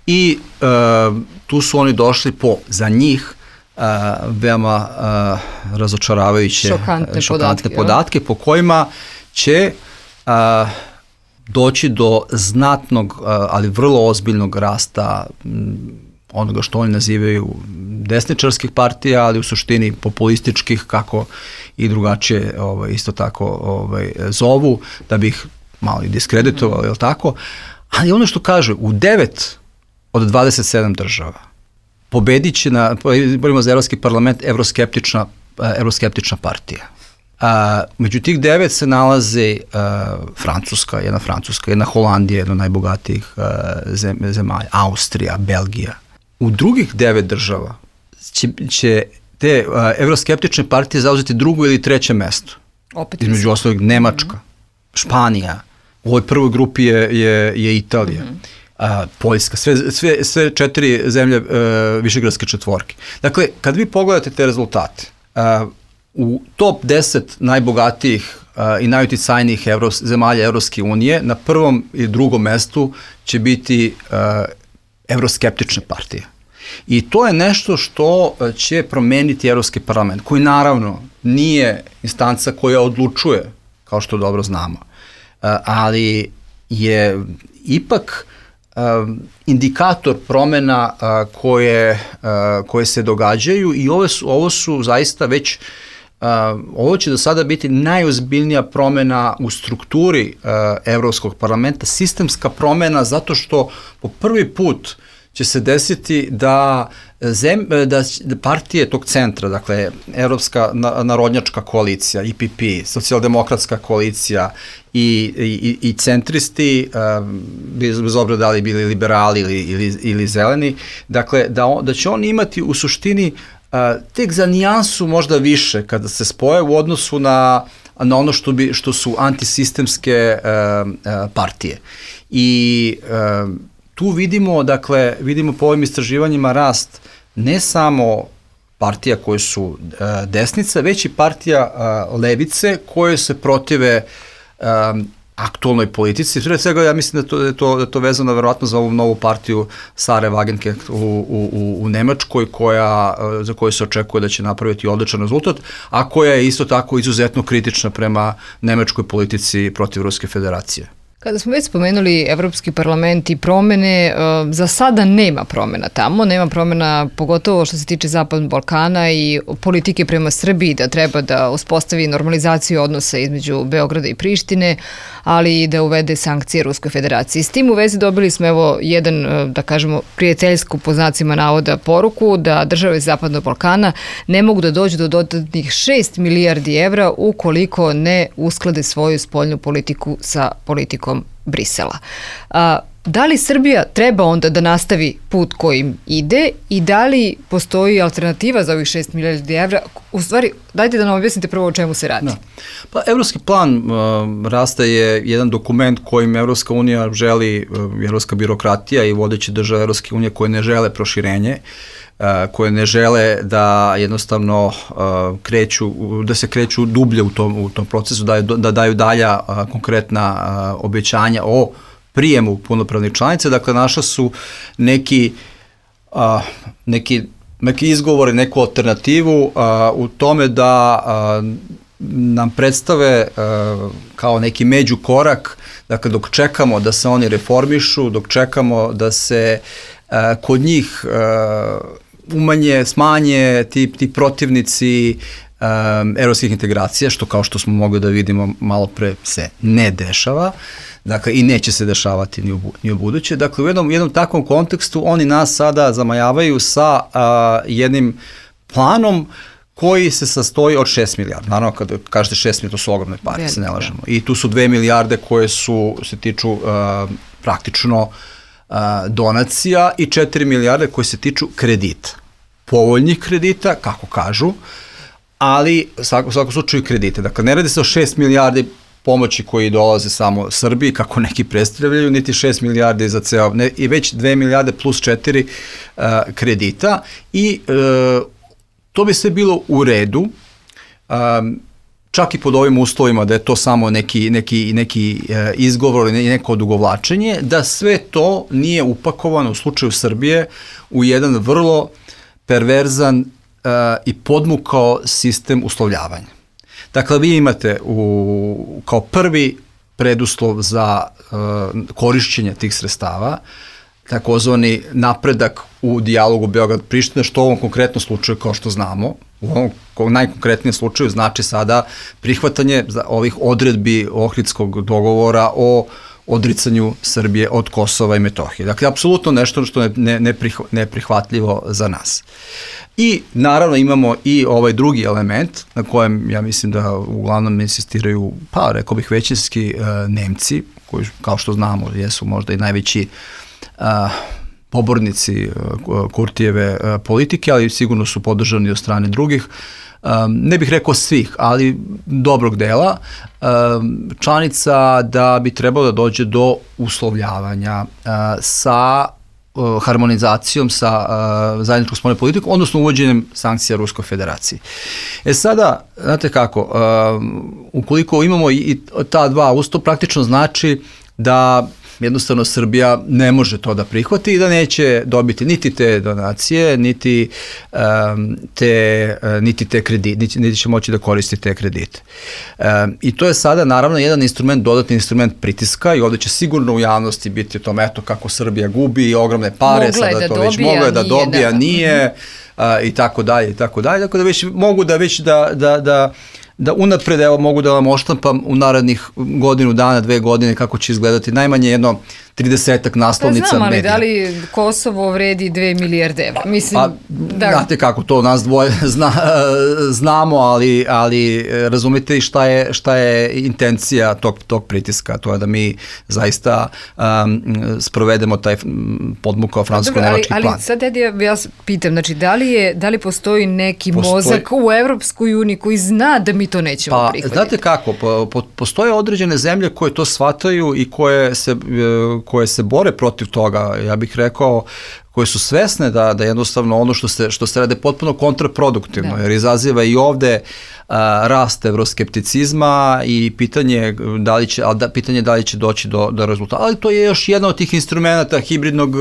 i uh, tu su oni došli po, za njih, Uh, veoma uh, razočaravajuće šokantne, šokantne podatke, podatke po kojima će uh, doći do znatnog, uh, ali vrlo ozbiljnog rasta m, onoga što oni nazivaju desničarskih partija, ali u suštini populističkih, kako i drugačije ovaj, isto tako ovaj, zovu, da bi ih malo i diskreditovali, mm. je li tako? Ali ono što kaže, u devet od dvadeset sedam država pobedit će na, izborima za Evropski parlament, evroskeptična, evroskeptična partija. A, među tih devet se nalaze a, Francuska, jedna Francuska, jedna Holandija, jedna od najbogatijih a, zem, zemalja, Austrija, Belgija. U drugih devet država će, će te a, evroskeptične partije zauzeti drugo ili treće mesto. Opet između ostalog Nemačka, mm-hmm. Španija, u ovoj prvoj grupi je, je, je Italija. Mm-hmm. A, Poljska, sve, sve, sve četiri zemlje uh, višegradske četvorke. Dakle, kad vi pogledate te rezultate, uh, u top deset najbogatijih uh, i najuticajnijih evro, zemalja Evropske unije, na prvom i drugom mestu će biti uh, evroskeptične partije. I to je nešto što će promeniti Evropski parlament, koji naravno nije instanca koja odlučuje, kao što dobro znamo, uh, ali je ipak Um, indikator promena uh, koje, uh, koje se događaju i ovo su, ovo su zaista već, uh, ovo će do sada biti najozbiljnija promena u strukturi uh, Evropskog parlamenta, sistemska promena zato što po prvi put će se desiti da, zem, da partije tog centra, dakle Evropska narodnjačka koalicija, E P P, socijaldemokratska koalicija i, i, i centristi, bez, bez obzira da li bili liberali ili, ili, ili zeleni, dakle da, on, da će oni imati u suštini tek za nijansu možda više kada se spoje u odnosu na, na ono što, bi, što su antisistemske partije. I tu vidimo, dakle, vidimo po ovim istraživanjima rast ne samo partija koje su uh, desnica, već i partija uh, levice koje se protive um, aktualnoj politici. Pre svega ja mislim da to, da to, da to vezano verovatno za ovu novu partiju Sare Wagenknecht u, u, u Nemačkoj koja, uh, za koju se očekuje da će napraviti odličan rezultat, a koja je isto tako izuzetno kritična prema nemačkoj politici protiv Ruske federacije. Kada smo već spomenuli Evropski parlament i promene, za sada nema promena tamo, nema promena pogotovo što se tiče Zapadnog Balkana i politike prema Srbiji da treba da uspostavi normalizaciju odnosa između Beograda i Prištine, ali i da uvede sankcije Ruskoj federaciji. S tim u vezi dobili smo evo jedan, da kažemo, prijateljsku po znacima navoda poruku da države Zapadnog Balkana ne mogu da dođu do dodatnih šest milijardi evra ukoliko ne usklade svoju spoljnu politiku sa politikom Brisela. A, da li Srbija treba onda da nastavi put kojim ide i da li postoji alternativa za ovih šest milijardi evra? U stvari, dajte da nam objasnite prvo o čemu se radi. Da. Pa, Evropski plan uh, rasta je jedan dokument kojim Evropska unija želi, uh, evropska birokratija i vodeće države Evropske unije koje ne žele proširenje, Uh, koje ne žele da jednostavno uh, kreću, da se kreću dublje u tom, u tom procesu, da, da daju dalja uh, konkretna uh, obećanja o prijemu punopravnih članice. Dakle, naša su neki, uh, neki, neki izgovori, neku alternativu uh, u tome da uh, nam predstave uh, kao neki međukorak, dakle dok čekamo da se oni reformišu, dok čekamo da se uh, kod njih uh, umanje, smanje ti, ti protivnici um, evropskih integracija, što kao što smo mogli da vidimo malo pre se ne dešava, dakle i neće se dešavati ni u, ni u buduće. Dakle u jednom, jednom takvom kontekstu oni nas sada zamajavaju sa uh, jednim planom koji se sastoji od šest milijardi. Naravno, kada kažete šest milijardi, to su ogromne pare, Velika. se ne lažemo. I tu su dve milijarde koje su, se tiču uh, praktično uh, donacija i četiri milijarde koje se tiču kredita. Povoljnih kredita, kako kažu, ali u svakom, svakom slučaju kredite. Dakle, ne radi se o šest milijardi pomoći koji dolaze samo Srbiji, kako neki predstavljaju, niti šest milijardi za ceo, ne, i već dve milijarde plus četiri uh, kredita i uh, to bi sve bilo u redu, um, čak i pod ovim uslovima da je to samo neki, neki, neki uh, izgovor ili neko odugovlačenje, da sve to nije upakovano u slučaju Srbije u jedan vrlo perverzan uh, i podmukao sistem uslovljavanja. Dakle, vi imate u, kao prvi preduslov za uh, korišćenje tih sredstava takozvani napredak u dijalogu Beograd-Priština, što u ovom konkretnom slučaju, kao što znamo, u ovom najkonkretnijem slučaju znači sada prihvatanje ovih odredbi Ohridskog dogovora o odricanju Srbije od Kosova i Metohije. Dakle, apsolutno nešto što je ne, ne neprihvatljivo za nas. I naravno imamo i ovaj drugi element na kojem ja mislim da uglavnom insistiraju, pa rekao bih većinski uh, Nemci, koji kao što znamo jesu možda i najveći uh, pobornici uh, Kurtijeve uh, politike, ali sigurno su podržani od strane drugih. Um, ne bih rekao svih, ali dobrog dela, um, članica da bi trebalo da dođe do uslovljavanja uh, sa uh, harmonizacijom sa uh, zajedničkom spoljnom politikom, odnosno uvođenjem sankcija Ruskoj federaciji. E sada, znate kako, um, ukoliko imamo i, i ta dva usto, praktično znači da jednostavno Srbija ne može to da prihvati i da neće dobiti niti te donacije, niti um, te, uh, niti te kredite, niti, niti će moći da koristi te kredite. Um, I to je sada naravno jedan instrument, dodatni instrument pritiska i ovde će sigurno u javnosti biti o tom eto kako Srbija gubi ogromne pare, mogla sada da to dobija, već mogla da nije, dobija, da. nije uh, i tako dalje i tako dalje. Dakle da već mogu da već da, da, da da unapred, evo mogu da vam oštampam u narednih godinu dana, dve godine kako će izgledati najmanje jedno tridesetak naslovnica medija. Pa znam, ali medija. da li Kosovo vredi dve milijarde evra? Mislim, pa, da... Znate kako, to nas dvoje zna, znamo, ali, ali razumite šta je, šta je intencija tog, tog pritiska, to je da mi zaista um, sprovedemo taj podmukao francusko-nemački plan. Ali sad ja vas pitam, znači da li, je, da li postoji neki postoji... mozak u Evropskoj uniji koji zna da mi to nećemo pa, prihvatiti? Znate kako, po, po, postoje određene zemlje koje to shvataju i koje se koje se bore protiv toga, ja bih rekao, koje su svesne da, da jednostavno ono što se, što se rade potpuno kontraproduktivno, da. Jer izaziva i ovde a, rast evroskepticizma i pitanje da li će, a da, pitanje da li će doći do, do rezultata. Ali to je još jedan od tih instrumenta hibridnog,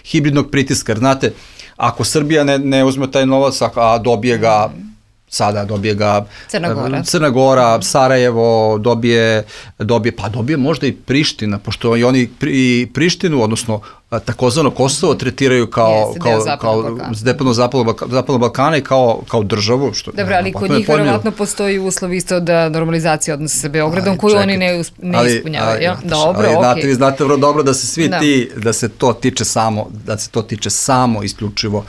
hibridnog pritiska. Znate, ako Srbija ne, ne uzme taj novac, a dobije ga sada dobije ga Crna Gora, Crna Gora, Sarajevo, dobije, dobije, pa dobije možda i Priština, pošto i oni pri, Prištinu, odnosno takozvano Kosovo tretiraju kao kao deo zapadnog Balkana i kao kao državu, što dobro, ali kod njih verovatno postoji uslov isto da normalizacija odnosa sa Beogradom koju oni ne ne ispunjavaju, ja? Dobro, okej. Znate, vi znate vrlo dobro da se svi ti da se to tiče samo da se to tiče samo isključivo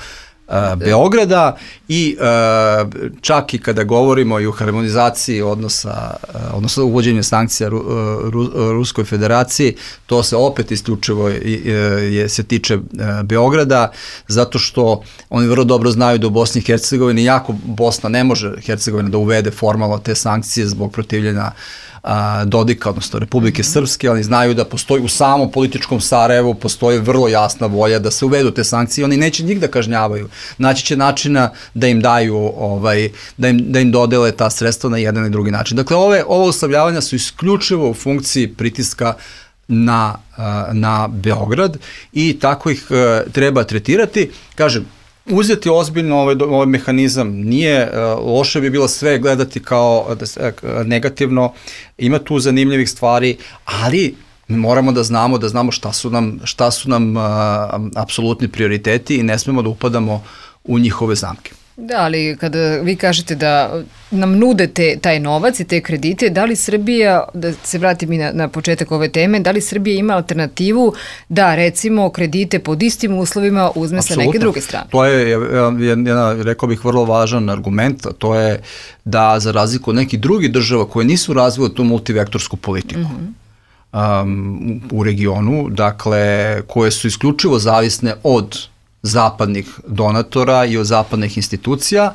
Beograda i uh, čak i kada govorimo i o harmonizaciji odnosa, uh, odnosno uvođenju sankcija Ru, Ru, Ruskoj federaciji, to se opet isključivo je, je, se tiče uh, Beograda, zato što oni vrlo dobro znaju da u Bosni i Hercegovini jako Bosna ne može Hercegovina da uvede formalno te sankcije zbog protivljenja a, Dodika, odnosno Republike mm-hmm. Srpske, ali znaju da postoji u samom političkom Sarajevu postoji vrlo jasna volja da se uvedu te sankcije, oni neće njih da kažnjavaju, naći će načina da im daju, ovaj, da, im, da im dodele ta sredstva na jedan i drugi način. Dakle, ove, ove uslovljavanja su isključivo u funkciji pritiska na, na Beograd i tako ih treba tretirati. Kažem, uzeti ozbiljno ovaj, ovaj mehanizam. Nije, uh, loše bi bilo sve gledati kao uh, negativno, ima tu zanimljivih stvari, ali mi moramo da znamo da znamo šta su nam, šta su nam uh, apsolutni prioriteti i ne smemo da upadamo u njihove zamke. Da, ali kada vi kažete da nam nudete taj novac i te kredite, da li Srbija, da se vratim i na, na početak ove teme, da li Srbija ima alternativu da recimo kredite pod istim uslovima uzme Absolutno. Sa neke druge strane? To je jedan, rekao bih, vrlo važan argument, a to je da za razliku od nekih drugih država koje nisu razvile tu multivektorsku politiku, mm-hmm. um, u regionu, dakle, koje su isključivo zavisne od zapadnih donatora i od zapadnih institucija,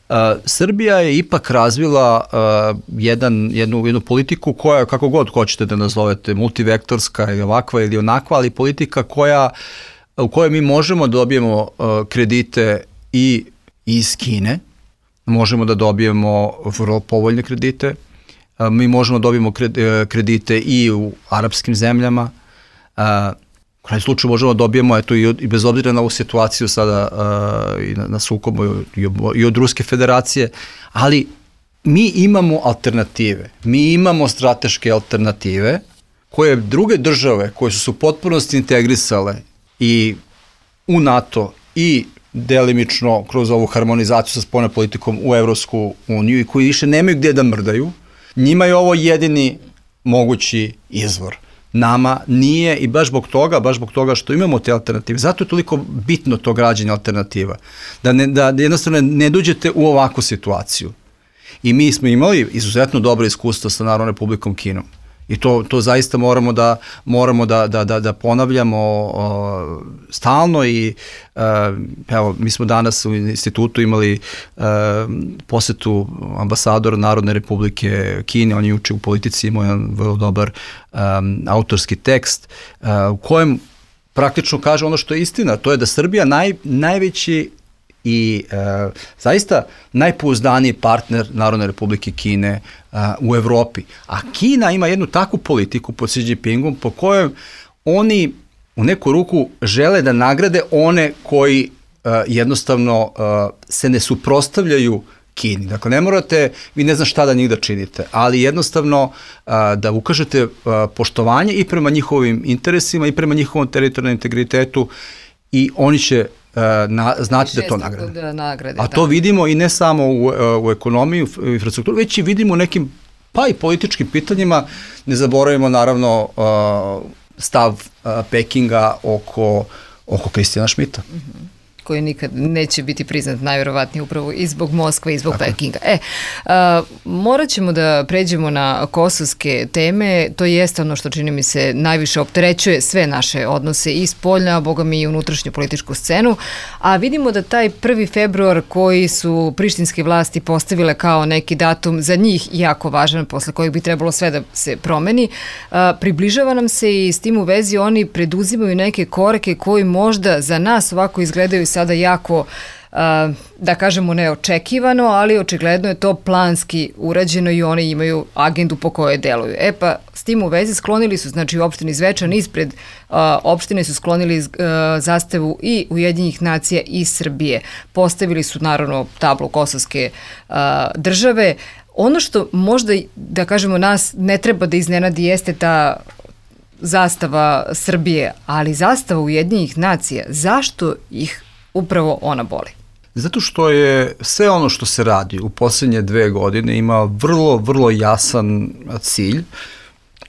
uh, Srbija je ipak razvila uh, jedan, jednu, jednu politiku koja, kako god hoćete da nazovete, multivektorska ili ovakva ili onakva, ali politika koja, u kojoj mi možemo da dobijemo uh, kredite i iz Kine, možemo da dobijemo vrlo povoljne kredite, uh, mi možemo da dobijemo kredite i u arapskim zemljama, uh, u krajnjem slučaju možemo da dobijemo, eto, i, od, i bez obzira na ovu situaciju sada uh, i na, na sukobu i, i od Ruske federacije, ali mi imamo alternative, mi imamo strateške alternative koje druge države koje su se u potpunosti integrisale i u NATO i delimično kroz ovu harmonizaciju sa spoljnom politikom u Evropsku uniju i koji više nemaju gde da mrdaju, njima je ovo jedini mogući izvor. Nama nije i baš zbog toga, baš zbog toga što imamo te alternative. Zato je toliko bitno to građenje alternativa. Da, ne, da jednostavno ne dođete u ovakvu situaciju. I mi smo imali izuzetno dobro iskustvo sa Narodnom Republikom Kinom. I to, to zaista moramo da, moramo da, da, da, da ponavljamo o, stalno i uh, evo, mi smo danas u institutu imali uh, posetu ambasadora Narodne Republike Kine, on je juče u Politici imao jedan vrlo dobar um, autorski tekst uh, u kojem praktično kaže ono što je istina, to je da Srbija naj, najveći i e, zaista najpouzdaniji partner Narodne Republike Kine a, u Evropi. A Kina ima jednu takvu politiku pod Xi Jinpingom po kojoj oni u neku ruku žele da nagrade one koji a, jednostavno a, se ne suprotstavljaju Kini. Dakle, ne morate, vi ne znam šta da njih da činite, ali jednostavno a, da ukažete a, poštovanje i prema njihovim interesima i prema njihovom teritorijalnom integritetu i oni će Na, znati da to nagrade. Da nagrade. A to da. Vidimo i ne samo u, u ekonomiji, u infrastrukturi, već i vidimo u nekim, pa i političkim pitanjima. Ne zaboravimo naravno stav Pekinga oko, oko Kristijana Šmita. Mm-hmm. Koji nikad neće biti priznat najverovatnije upravo i zbog Moskve i zbog Tako. Pekinga. E, a, morat ćemo da pređemo na kosovske teme, to jeste ono što čini mi se najviše opterećuje sve naše odnose i spoljna, a boga mi i unutrašnju političku scenu, a vidimo da taj prvi februar koji su prištinske vlasti postavile kao neki datum za njih jako važan, posle kojeg bi trebalo sve da se promeni, a, približava nam se i s tim u vezi oni preduzimaju neke korake koji možda za nas ovako izgledaju sada jako, da kažemo, neočekivano, ali očigledno je to planski urađeno i oni imaju agendu po kojoj deluju. E pa, s tim u vezi sklonili su, znači u opštini Zvečan, ispred opštine su sklonili zastavu i Ujedinjenih nacija i Srbije. Postavili su, naravno, tablu kosovske države. Ono što možda, da kažemo, nas ne treba da iznenadi jeste ta zastava Srbije, ali zastava Ujedinjenih nacija, zašto ih upravo ona boli? Zato što je sve ono što se radi u posljednje dve godine ima vrlo, vrlo jasan cilj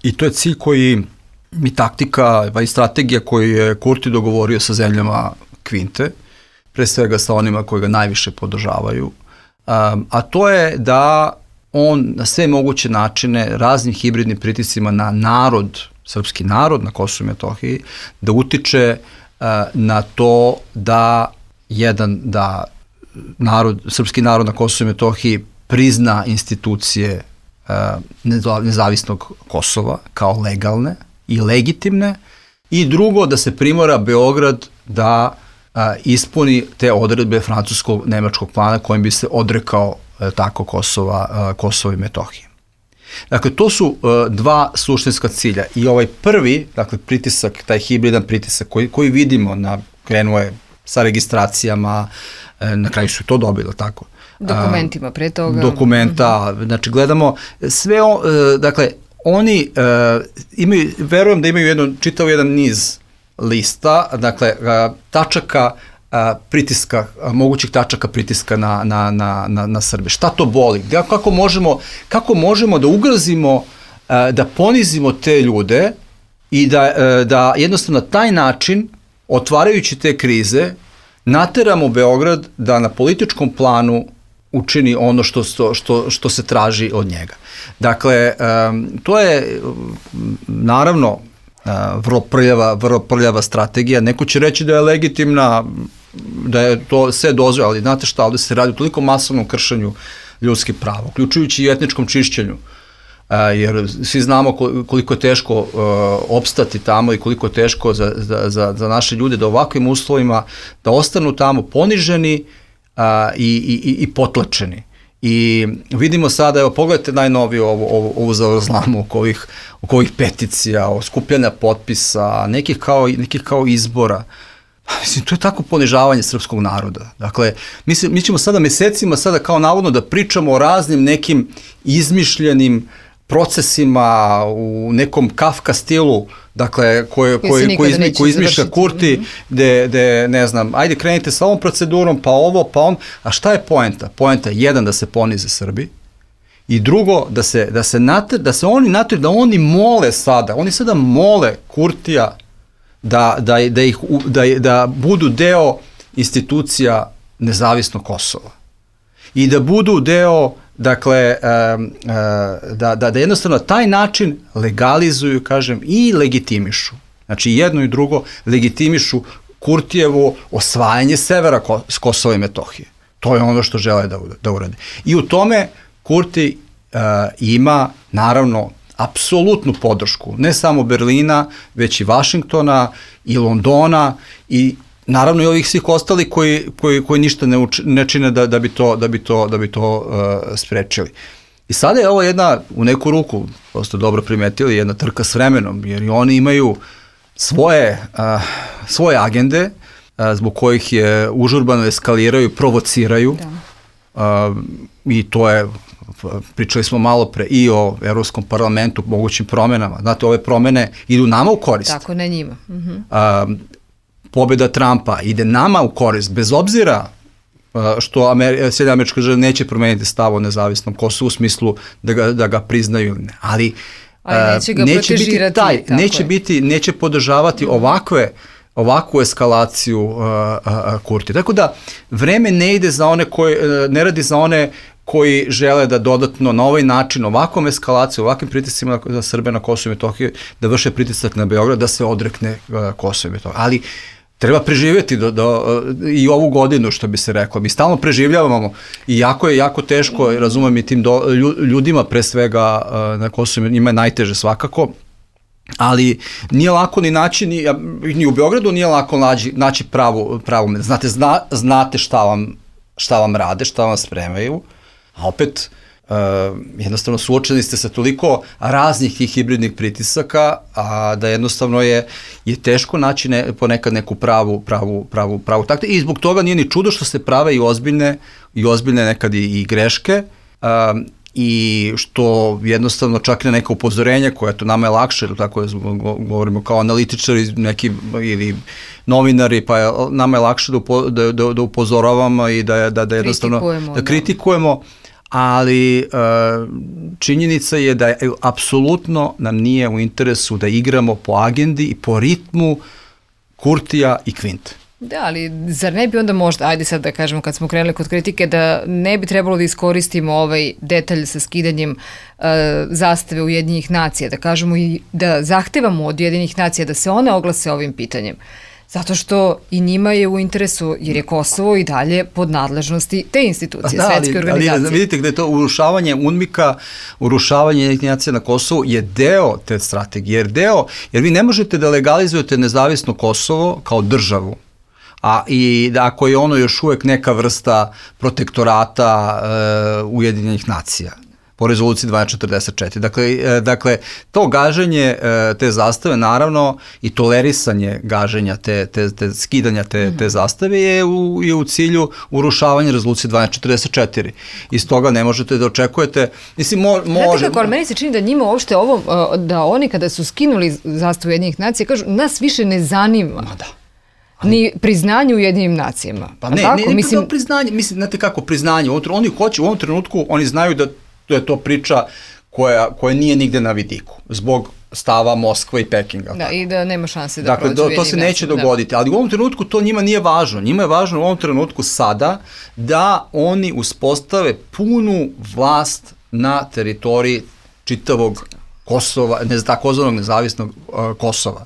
i to je cilj koji mi taktika i strategija koju je Kurti dogovorio sa zemljama Kvinte, pre svega sa onima koji ga najviše podržavaju, um, a to je da on na sve moguće načine raznim hibridnim pritiscima na narod, srpski narod na Kosovu i Metohiji, da utiče uh, na to da jedan, da narod, srpski narod na Kosovu i Metohiji prizna institucije uh, nezavisnog Kosova kao legalne i legitimne i drugo da se primora Beograd da uh, ispuni te odredbe francuskog-nemačkog plana kojim bi se odrekao uh, tako Kosova, uh, Kosova i Metohije. Dakle, to su uh, dva suštinska cilja i ovaj prvi, dakle, pritisak, taj hibridan pritisak koji, koji vidimo, na, krenuo je sa registracijama, na kraju su to dobili, tako? Dokumentima pre toga. Dokumenta, mm-hmm. znači gledamo sve, o, dakle, oni uh, imaju, verujem da imaju jedno, čitao jedan niz lista, dakle, uh, tačaka uh, pritiska, uh, mogućih tačaka pritiska na, na, na, na, na Srbe. Šta to boli? Kako možemo, kako možemo da ugrozimo, uh, da ponizimo te ljude i da, uh, da jednostavno na taj način, otvarajući te krize, nateramo Beograd da na političkom planu učini ono što, što, što se traži od njega. Dakle, um, to je naravno uh, vrlo prljava, vrlo prljava strategija. Neko će reći da je legitimna, da je to sve dozvoljeno, ali znate šta, ovde se radi o toliko masovnom kršenju ljudskih prava, uključujući i etničkom čišćenju, uh, jer svi znamo koliko je teško uh, opstati tamo i koliko je teško za, za, za, za naše ljude da ovakvim uslovima da ostanu tamo poniženi A, i, i, i potlačeni. I vidimo sada, evo pogledajte najnoviju ovu, ovu, ovu zavrzlamu oko ovih, oko ovih peticija, o skupljanja potpisa, nekih kao, nekih kao izbora. Mislim, to je tako ponižavanje srpskog naroda. Dakle, mi, se, mi ćemo sada mesecima sada kao navodno da pričamo o raznim nekim izmišljenim procesima u nekom Kafka stilu, dakle, koje, koje, koje, izmi, koje izmišlja Kurti, gde, gde, ne znam, ajde krenite sa ovom procedurom, pa ovo, pa on, a šta je poenta? Poenta je jedan, da se ponize Srbi, i drugo, da se, da se, nater, da se oni nater, da oni mole sada, oni sada mole Kurtija da, da, da, ih, da, da budu deo institucija nezavisnog Kosova i da budu deo, dakle, da, da, da jednostavno taj način legalizuju, kažem, i legitimišu. Znači, jedno i drugo legitimišu Kurtijevo osvajanje severa Kosova i Metohije. To je ono što žele da, da urade. I u tome Kurti uh, ima, naravno, apsolutnu podršku, ne samo Berlina, već i Vašingtona i Londona i naravno i ovih svih ostali koji, koji, koji ništa ne, uč, ne čine da, da bi to, da bi to, da bi to uh, sprečili. I sada je ovo jedna, u neku ruku, prosto dobro primetili, jedna trka s vremenom, jer i oni imaju svoje, uh, svoje agende uh, zbog kojih je užurbano eskaliraju, provociraju. Da. Uh, I to je, pričali smo malo pre i o Evropskom parlamentu, mogućim promenama. Znate, ove promene idu nama u korist. Tako, ne njima. Mhm. Uh, pobjeda Trumpa ide nama u korist, bez obzira što Amer Sjedinjene Američke Države neće promeniti stav o nezavisnom Kosovu u smislu da ga, da ga priznaju ili ne. Ali, Ali neće ga neće biti taj, neće je. biti, neće podržavati mm. ovakve, ovakvu eskalaciju uh, uh, Kurti. Tako da vreme ne ide za one koji, uh, ne radi za one koji žele da dodatno na ovaj način, ovakvom eskalaciju, ovakvim pritiscima za Srbe na Kosovo i Metohiju, da vrše pritisak na Beograd, da se odrekne uh, Kosovo i Metohiju. Ali treba preživjeti do, do, i ovu godinu, što bi se reklo. Mi stalno preživljavamo i jako je jako teško, razumem i tim do, ljudima pre svega na Kosovu, njima je najteže svakako, ali nije lako ni naći, ni, ni u Beogradu nije lako naći, naći pravu, pravu, znate, zna, znate šta vam, šta vam rade, šta vam spremaju, a opet Uh, jednostavno suočeni ste sa toliko raznih tih hibridnih pritisaka, a da jednostavno je, je teško naći ne, ponekad neku pravu, pravu, pravu, pravu taktiku i zbog toga nije ni čudo što se prave i ozbiljne, i ozbiljne nekad i, i greške uh, i što jednostavno čak na neka upozorenja koja to nama je lakše, tako je, govorimo kao analitičari neki ili novinari, pa je, nama je lakše da, upo, da, da, da upozoravamo i da, da, da jednostavno kritikujemo, da kritikujemo, ali e, činjenica je da je, apsolutno nam nije u interesu da igramo po agendi i po ritmu Kurtija i Kvinte. Da, ali zar ne bi onda možda, ajde sad da kažemo kad smo krenuli kod kritike, da ne bi trebalo da iskoristimo ovaj detalj sa skidanjem e, zastave Ujedinjenih nacija, da kažemo i da zahtevamo od Ujedinjenih nacija da se one oglase ovim pitanjem. Zato što i njima je u interesu, jer je Kosovo i dalje pod nadležnosti te institucije, da, svetske ali, organizacije. Ali vidite gde je to urušavanje UNMIK-a, urušavanje nacija na Kosovu je deo te strategije, jer deo, jer vi ne možete da legalizujete nezavisno Kosovo kao državu, a i da ako je ono još uvek neka vrsta protektorata e, Ujedinjenih nacija. po rezoluciji dvanaest četrdeset četiri. Dakle, dakle to gaženje te zastave, naravno, i tolerisanje gaženja, te, te, te skidanja te, te zastave je u, je u cilju urušavanja rezolucije dvanaest četrdeset četiri. Iz toga ne možete da očekujete, mislim, mo, može... Znate kako, ali meni se čini da njima uopšte ovo, da oni kada su skinuli zastavu Ujedinjenih nacija, kažu, nas više ne zanima. Ma da. Ni priznanje u Ujedinjenim nacijama. Pa ne, tako, ne, ne mislim, priznanje, mislim, znate kako, priznanje, oni hoće, u ovom trenutku, oni znaju da to je to priča koja, koja nije nigde na vidiku, zbog stava Moskva i Pekinga. Da, tako. I da nema šanse da dakle, prođe Dakle, to se neće da. dogoditi, ali u ovom trenutku to njima nije važno. Njima je važno u ovom trenutku sada da oni uspostave punu vlast na teritoriji čitavog Kosova, ne znam, takozvanog nezavisnog uh, Kosova.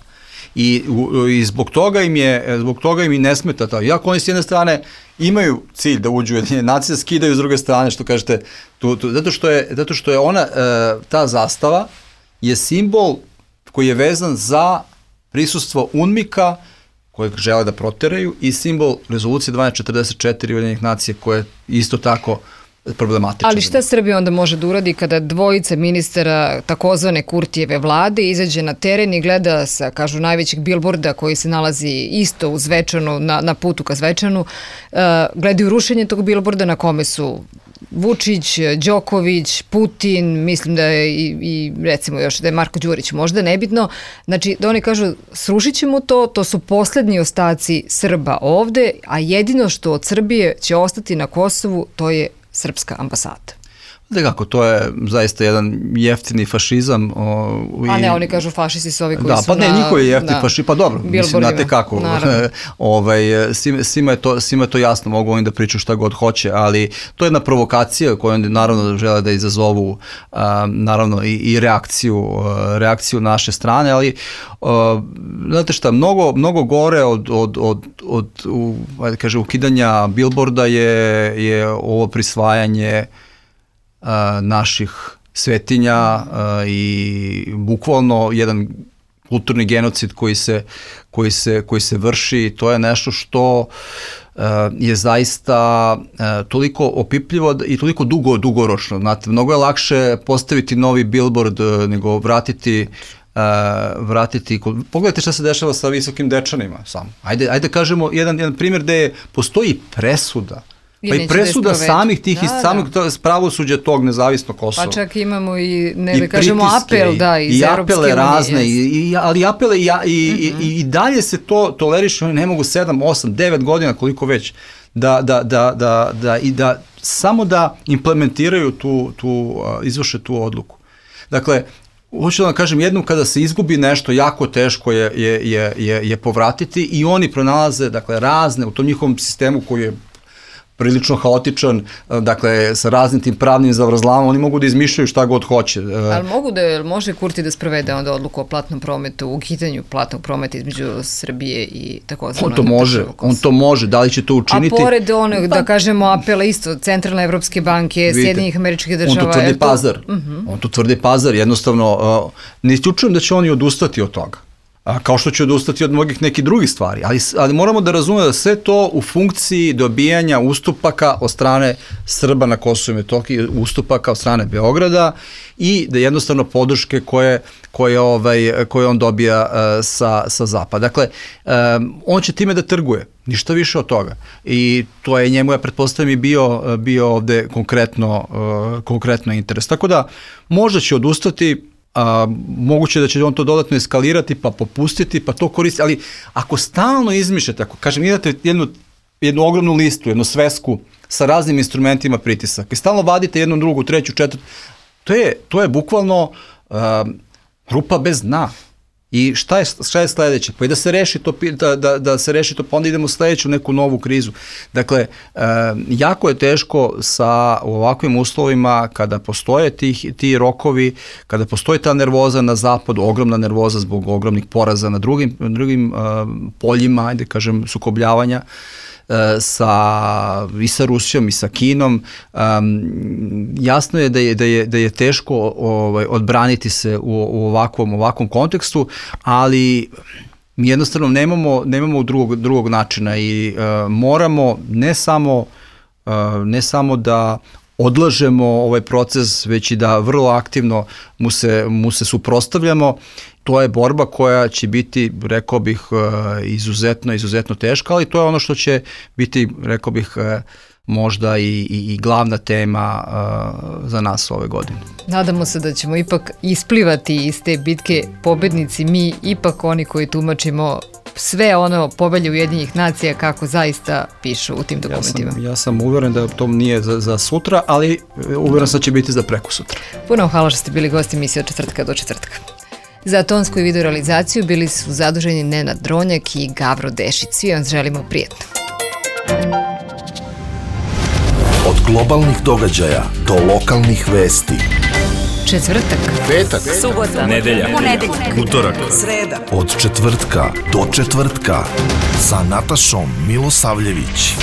I, i zbog toga im je, zbog toga im i ne smeta to. Iako oni s jedne strane imaju cilj da uđu u Ujedinjene nacije, skidaju s druge strane, što kažete, tu, tu, zato, što je, zato što je ona, uh, ta zastava je simbol koji je vezan za prisustvo UNMIK-a kojeg žele da proteraju i simbol rezolucije dvanaest četrdeset četiri Ujedinjenih nacija koje je isto tako problematično. Ali šta Srbija onda može da uradi kada dvojica ministara takozvane Kurtijeve vlade izađe na teren i gleda sa, kažu, najvećeg bilborda koji se nalazi isto u Zvečanu, na, na putu ka Zvečanu, uh, gledaju rušenje tog bilborda na kome su Vučić, Đoković, Putin, mislim da je i, i recimo još da je Marko Đurić, možda nebitno. Znači da oni kažu srušit ćemo to, to su poslednji ostaci Srba ovde, a jedino što od Srbije će ostati na Kosovu to je srpska ambasada. Da kako, to je zaista jedan jeftini fašizam. O, i... A ne, oni kažu fašisti su ovi koji da, su pa na... ne, njihovi jeftini fašisti, pa dobro, mislim, znate kako, ovaj, svima, je to, svima je to jasno, mogu oni da pričaju šta god hoće, ali to je jedna provokacija koju oni naravno žele da izazovu a, naravno i, i reakciju, a, reakciju naše strane, ali a, znate šta, mnogo, mnogo gore od, od, od, od u, ajde kaže, ukidanja bilborda je, je ovo prisvajanje Uh, naših svetinja uh, i bukvalno jedan kulturni genocid koji se, koji se, koji se vrši. To je nešto što uh, je zaista uh, toliko opipljivo i toliko dugo, dugoročno. Znate, mnogo je lakše postaviti novi billboard uh, nego vratiti Uh, vratiti, pogledajte šta se dešava sa Visokim Dečanima samo. Ajde, ajde kažemo jedan, jedan primjer gde postoji presuda. Pa i presuda samih tih, da, iz samih da. pravosuđa tog nezavisnog Kosova. Pa čak imamo i, ne I da kažemo, apel, da, iz i Europske apele razne, unije. I, i, ali apele i, i, mm-hmm. i, i dalje se to toleriše, oni ne mogu sedam, osam, devet godina, koliko već, da, da, da, da, da, i da samo da implementiraju tu, tu, izvrše tu odluku. Dakle, hoću da vam kažem, jednom kada se izgubi nešto, jako teško je, je, je, je, je povratiti i oni pronalaze, dakle, razne, u tom njihovom sistemu koji je prilično haotičan, dakle, sa raznim tim pravnim zavrzlamama, oni mogu da izmišljaju šta god hoće. Ali mogu da, može Kurti da sprovede onda odluku o platnom prometu, u ukidanju platnog prometa između Srbije i takozvano... On to može, on to može, da li će to učiniti? A pored onog, da kažemo, apela isto, Centralne Evropske banke, Sjedinjenih Američkih Država... On to tvrdi Pazar, on to tvrdi Pazar, jednostavno, ne isključujem da će oni odustati od toga. A, kao što će odustati od mnogih nekih drugih stvari, ali, ali moramo da razumemo da sve to u funkciji dobijanja ustupaka od strane Srba na Kosovu i Metohiji, ustupaka od strane Beograda i da jednostavno podrške koje, koje, ovaj, koje on dobija uh, sa, sa zapada. Dakle, um, on će time da trguje, ništa više od toga. I to je njemu, ja pretpostavljam, i bio, bio ovde konkretno, uh, konkretno interes. Tako da, možda će odustati. A, moguće da će on to dodatno eskalirati pa popustiti pa to koristiti, ali ako stalno izmišljate, ako kažem imate jednu, jednu ogromnu listu, jednu svesku sa raznim instrumentima pritisaka i stalno vadite jednu, drugu, treću, četvrtu, to je, to je bukvalno a, rupa bez dna. I šta je, šta je sledeće? Pa i da se reši to, da, da, da se reši to, pa onda idemo u sledeću neku novu krizu. Dakle, e, jako je teško sa ovakvim uslovima kada postoje tih, ti rokovi, kada postoji ta nervoza na zapadu, ogromna nervoza zbog ogromnih poraza na drugim, drugim e, poljima, ajde kažem, sukobljavanja, sa, i sa Rusijom i sa Kinom. Um, jasno je da je, da je, da je teško ovaj, odbraniti se u, u ovakvom, ovakvom kontekstu, ali mi jednostavno nemamo, nemamo drugog, drugog načina i uh, moramo ne samo, uh, ne samo da odlažemo ovaj proces, već i da vrlo aktivno mu se, mu se suprotstavljamo. To je borba koja će biti, rekao bih, izuzetno, izuzetno teška, ali to je ono što će biti, rekao bih, možda i, i, i glavna tema uh, za nas ove godine. Nadamo se da ćemo ipak isplivati iz te bitke pobednici, mi ipak oni koji tumačimo sve ono Povelje Ujedinjenih nacija kako zaista pišu u tim dokumentima. Ja sam, ja sam uveren da to nije za, za sutra, ali uveren sam da će biti za preko sutra. Puno hvala što ste bili gosti emisije od četvrtka do četvrtka. Za tonsku i video realizaciju bili su zaduženi Nenad Dronjak i Gavro Dešić. Svi vam želimo prijetno. Od globalnih događaja do lokalnih vesti. Četvrtak, Petak, subota, nedelja, ponedeljak, utorak, sreda. Od četvrtka do četvrtka sa Natašom Milosavljević.